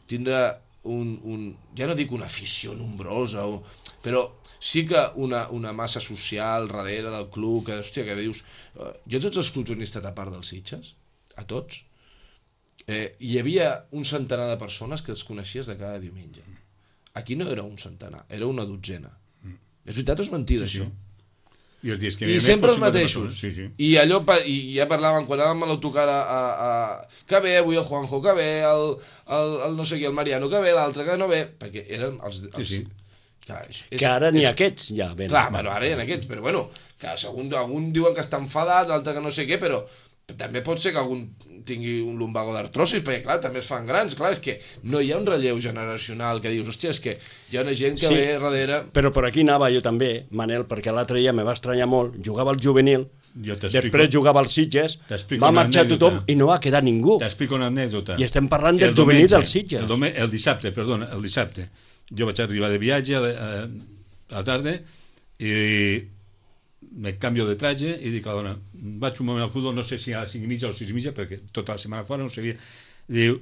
tindre ja no dic una afició nombrosa, però sí que una massa social darrere del club, que, hòstia, que dius... Jo tots els clubs on he estat a part dels Sitges, a tots, hi havia un centenar de persones que els coneixies de cada diumenge. Aquí no era un centenar, era una dotzena. És veritat o és mentida, això? I sempre els mateixos. I allò, i ja parlaven, quan anàvem a l'autocar que ve avui el Juanjo, que ve el no sé qui, el Mariano, que ve l'altre, que no ve, perquè eren els clar, que ara n'hi ha aquests ja venen. Clar, bueno, ara hi ha aquests, però bueno, que algun diuen que està enfadat, l'altre que no sé què, però també pot ser que algun tingui un lumbago d'artrosis, perquè clar, també es fan grans, clar, és que no hi ha un relleu generacional que dius, hòstia, és que hi ha una gent que ve darrere... Però per aquí anava jo també, Manel, perquè l'altre dia me va estranyar molt, jugava al juvenil, després jugava als Sitges, va marxar tothom i no va quedar ningú. T'explico una anècdota. I estem parlant del juvenil dels Sitges. El dissabte, jo vaig arribar de viatge a la tarda i me canvio de traje i dic a la dona, vaig un moment al futbol, no sé si a les 5:30 o 6:30, perquè tota la setmana fora no sabia. Diu,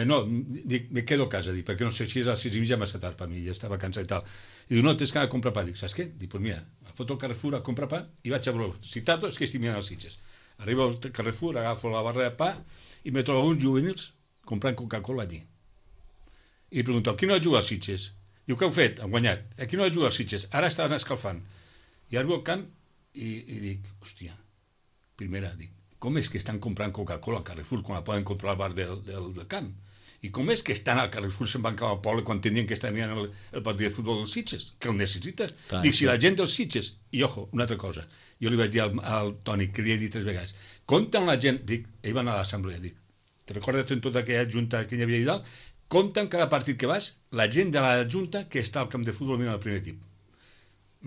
no, dic, me quedo a casa, dic, perquè no sé si és a les 6:30 massa tard per mi, ja estava cansat i tal. I diu, no, tens que anar a comprar pa. Dic, saps què? Dic, pues mira, foto al Carrefour a comprar pa i vaig a veure, si tardo és que estic mirant els Sitges. Arribo al Carrefour, agafo la barra de pa i me trobo uns juvenils comprant Coca-Cola allí. I pregunto, qui no ha jugat als Sitges? Diu, què heu fet? Han guanyat. Aquí no ha jugat als Sitges, ara estaven escalfant. I arribo al camp i dic, hòstia, primera, dic, com és que estan comprant Coca-Cola al Carrefour quan la poden comprar al bar del camp? I com és que estan al Carrefour se'n van cap al poble quan tenien que estar mirant el partit de futbol dels Sitges? Que el necessita. Clar, dic, si la gent dels Sitges... I, ojo, una altra cosa. Jo li vaig dir al Toni, que li he dit 3 vegades, compta amb la gent... Dic, ell va anar a l'assemblea, dic, te recordes en tota aquella junta que hi havia allà dalt? Compta en cada partit que vas la gent de la junta que està al camp de futbol mirant el primer equip.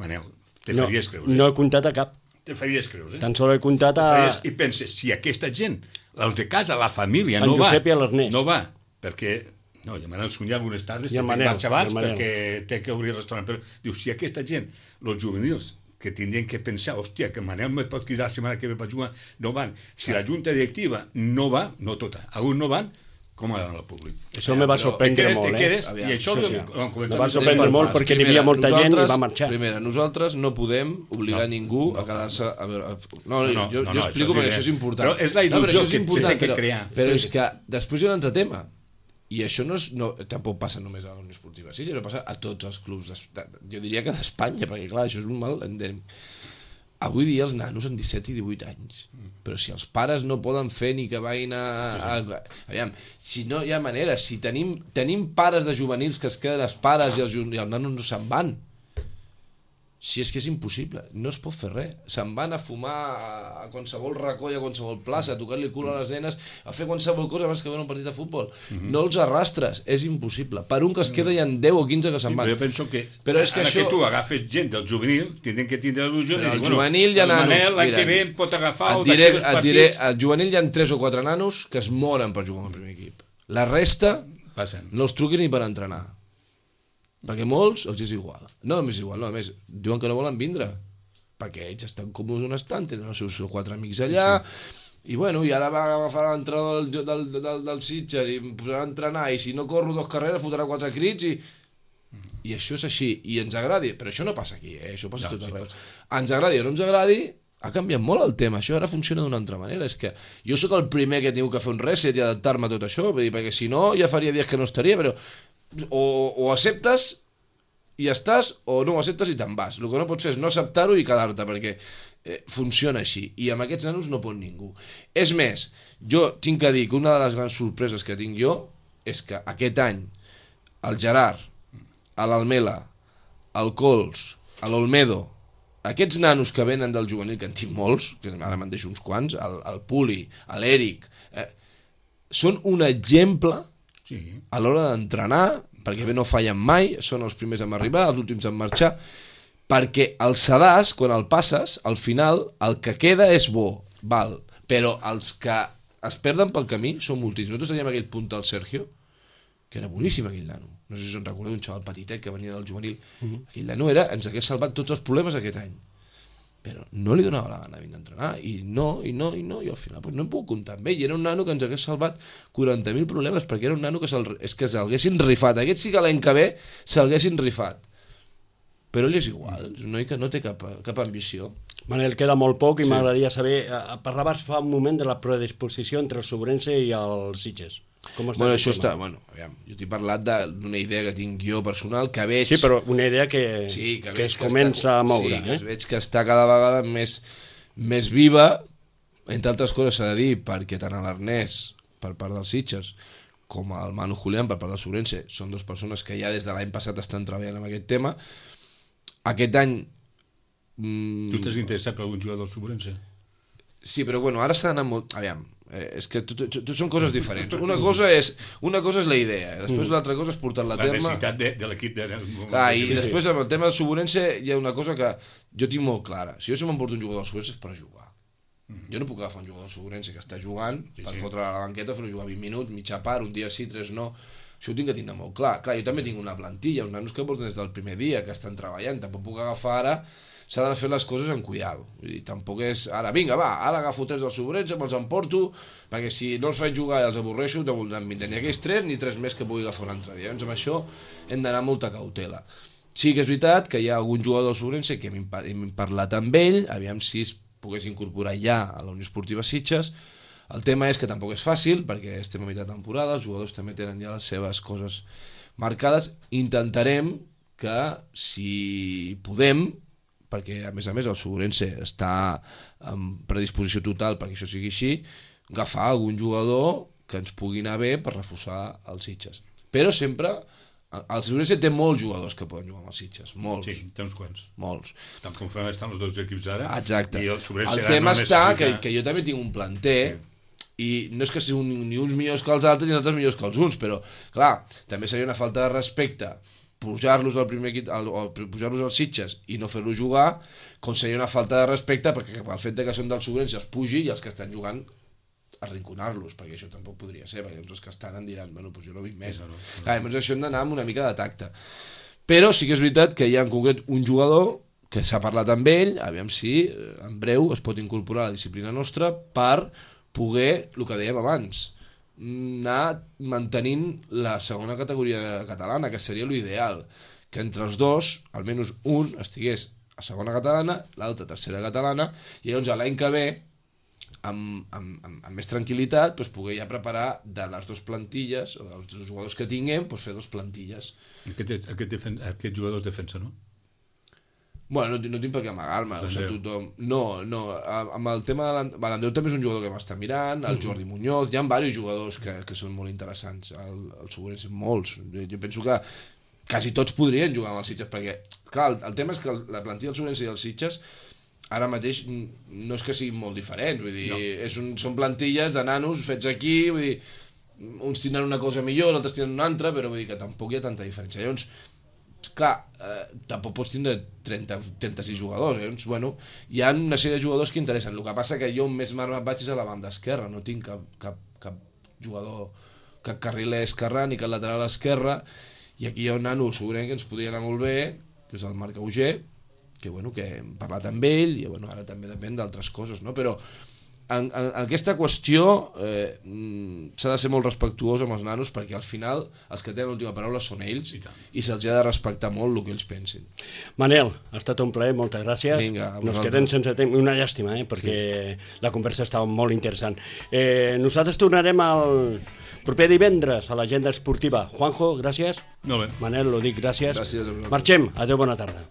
Manel, te faries creus, No he comptat a cap. Te faries creus, Tan sols he comptat a... I penses, si aquesta gent, els de casa, la família, no va... No va, perquè... No, i a Manel Sunyer algunes tardes se marxa abans perquè té que obrir el restaurant. Però diu, si aquesta gent, els juvenils, que tindrien que pensar, hòstia, que Manel me pot cridar la setmana que ve per jugar, no van. Si la junta directiva no va, no tota, alguns no van, com ha d'anar al públic? Això me va sorprendre molt, I això me va sorprendre molt perquè n'hi havia molta gent i va marxar. Primera, nosaltres no podem obligar ningú a quedar-se... No, jo explico perquè això és important. Però és la il·lusió que s'ha de crear. Però és que després hi ha un altre tema. I això tampoc passa només a la Unió Esportiva. Sí, això passa a tots els clubs, jo diria que d'Espanya, perquè clar, això és un mal endèmic. Avui dia els nanos amb 17 i 18 anys, però si els pares no poden fer ni que vagin aviam, si no hi ha manera, si tenim pares de juvenils que es queden els pares i els nanos no se'n van. Si és que és impossible, no es pot fer res. Se'n van a fumar a qualsevol racó i a qualsevol plaça, a tocar-li el cul a les nenes, a fer qualsevol cosa abans que veure un partit de futbol. No els arrastres, és impossible. Per un que es queda hi ha 10 o 15 que se'n van. Jo penso que, però és que això... que tu agafes gent del juvenil, tenen que tindre l'il·lusió de dir, el juvenil hi ha nanos. El Manel l'any que ve em pot agafar et diré, al juvenil hi ha 3 o 4 nanos que es moren per jugar amb el primer equip. La resta no els truquin ni per entrenar. Perquè molts els és igual. No, és igual, no, a més, diuen que no volen vindre. Perquè ells estan còmodes on estan, tenen els seus 4 amics allà, i bueno, i ara va agafar l'entrenador del Sitges i em posarà a entrenar, i si no corro 2 carreres fotrà 4 crits, i això és així, i ens agradi, però això no passa aquí, això passa tot arreu. Ens agradi o no ens agradi, ha canviat molt el tema, això ara funciona d'una altra manera, és que jo sóc el primer que he tingut que fer un reset i adaptar-me a tot això, perquè si no ja faria dies que no estaria, però o acceptes i estàs, o no ho acceptes i te'n vas. El que no pots fer és no acceptar-ho i quedar-te, perquè funciona així, i amb aquests nanos no pot ningú. És més, jo tinc que dir que una de les grans sorpreses que tinc jo és que aquest any el Gerard, l'Almela, el Cols, l'Olmedo, aquests nanos que venen del juvenil, que en tinc molts, que ara me'n deixo uns quants, el Puli, l'Eric, són un exemple a l'hora d'entrenar, perquè bé no fallen mai, són els primers a arribar, els últims a marxar, perquè el sedàs, quan el passes, al final el que queda és bo, val, però els que es perden pel camí són moltíssims. Nosaltres teníem aquell punt del Sergio, que era boníssim aquell nano, no sé si us en recordeu, un xaval petitet que venia del juvenil, aquell nano ens hagués salvat tots els problemes aquest any, però no li donava la gana de venir a entrenar, i al final no hem pogut comptar amb ell, i era un nano que ens hagués salvat 40.000 problemes, perquè era un nano que s'haguessin rifat, aquest sí que l'any que ve s'haguessin rifat, però ell és igual, és un noi que no té cap ambició. Manel, queda molt poc i m'agradaria saber, parlaves fa un moment de la predisposició entre el Sobrense i el Sitges. Bueno, això està, aviam, jo t'he parlat d'una idea que tinc jo personal, que veig... Sí, però una idea que es comença a moure. Sí, que veig que està cada vegada més viva, entre altres coses s'ha de dir, perquè tant l'Ernest, per part dels Sitges, com el Manu Julián, per part del Sobrense, són 2 persones que ja des de l'any passat estan treballant en aquest tema. Aquest any... Tu t'has interessat per algun jugador del Sobrense? Sí, però bueno, ara s'ha d'anar molt... Aviam, és que són coses diferents. Una cosa és la idea, després l'altra cosa és portar-la a terme. La necessitat de l'equip de... I després amb el tema del Sobrense hi ha una cosa que jo tinc molt clara. Si jo m'emporto un jugador del Sobrense és per jugar. Jo no puc agafar un jugador del Sobrense que està jugant per fotre a la banqueta, fer-lo jugar 20 minuts, mitja part, un dia sí, 3 no. Això ho tinc que tindre molt clar. Clar, jo també tinc una plantilla, uns nanos que porten des del primer dia, que estan treballant, tampoc puc agafar ara. S'ha de fer les coses amb cuidado. Vull dir, tampoc és... Ara, vinga, va, ara agafo 3 dels Sobrense, me'ls emporto, perquè si no els faig jugar i els avorreixo, no voldran vindre ni aquells 3 ni 3 més que pugui agafar un altre dia. Llavors, amb això hem d'anar amb molta cautela. Sí que és veritat que hi ha algun jugador del Sobrense que hem parlat amb ell, aviam si es pogués incorporar ja a la Unió Esportiva Sitges. El tema és que tampoc és fàcil, perquè estem a mitjà temporada, els jugadors també tenen ja les seves coses marcades. Intentarem que, si podem, perquè a més el Sobrense està en predisposició total perquè això sigui així, agafar algun jugador que ens pugui anar bé per reforçar els Sitges. Però sempre, el Sobrense té molts jugadors que poden jugar amb els Sitges, molts. Sí, té uns quants. Molts. Tant com estan els 2 equips ara. Exacte. I el tema està que jo també tinc un planter, i no és que siguin ni uns millors que els altres ni els altres millors que els uns, però clar, també seria una falta de respecte pujar-los al primer equip, o pujar-los als Sitges i no fer-los jugar, com seria una falta de respecte perquè el fet que són del Sobrense els pugi i els que estan jugant arrinconar-los, perquè això tampoc podria ser, perquè els que estan en diran, bueno, doncs jo no vinc més. Clar, llavors això hem d'anar amb una mica de tacte. Però sí que és veritat que hi ha en concret un jugador que s'ha parlat amb ell, aviam si en breu es pot incorporar a la disciplina nostra per poder, el que dèiem abans, anar mantenint la segona categoria catalana, que seria l'ideal, que entre els dos, almenys un estigués a segona catalana, l'altre a tercera catalana, i llavors l'any que ve, amb més tranquil·litat, poder ja preparar de les 2 plantilles, o dels 2 jugadors que tinguem, fer 2 plantilles. Aquest jugador és defensa, no? Bueno, no tinc per què amagar-me, o sigui, tothom... No, amb el tema de l'Andreu també és un jugador que m'està mirant, el Jordi Muñoz, hi ha diversos jugadors que són molt interessants, el Sobrense molts, jo penso que quasi tots podrien jugar amb els Sitges, perquè Clar, el tema és que la plantilla del Sobrense i els Sitges ara mateix no és que siguin molt diferents, vull dir, són plantilles de nanos fets aquí, vull dir, uns tindran una cosa millor, altres tindran una altra, però vull dir que tampoc hi ha tanta diferència. Llavors, clar, tampoc pots tindre 36 jugadors, llavors, bueno, hi ha una sèrie de jugadors que interessen. El que passa que jo més marmat vaig és a la banda esquerra, no tinc cap jugador, cap carriler esquerrà ni cap lateral esquerra, i aquí hi ha un nano, el Sobrenc, que ens podria anar molt bé, que és el Marc Auger, que, bueno, que hem parlat amb ell, i bueno, ara també depèn d'altres coses, no? Però en aquesta qüestió s'ha de ser molt respectuós amb els nanos, perquè al final els que tenen l'última paraula són ells, i se'ls ha de respectar molt el que ells pensin. Manel, ha estat un plaer, moltes gràcies. Vinga, nos quedem sense temps, una llàstima, perquè la conversa estava molt interessant. Nosaltres tornarem al proper divendres a l'agenda esportiva. Juanjo, gràcies. Molt bé. Manel, ho dic, gràcies. Gràcies a vosaltres. Marxem. Adéu, bona tarda.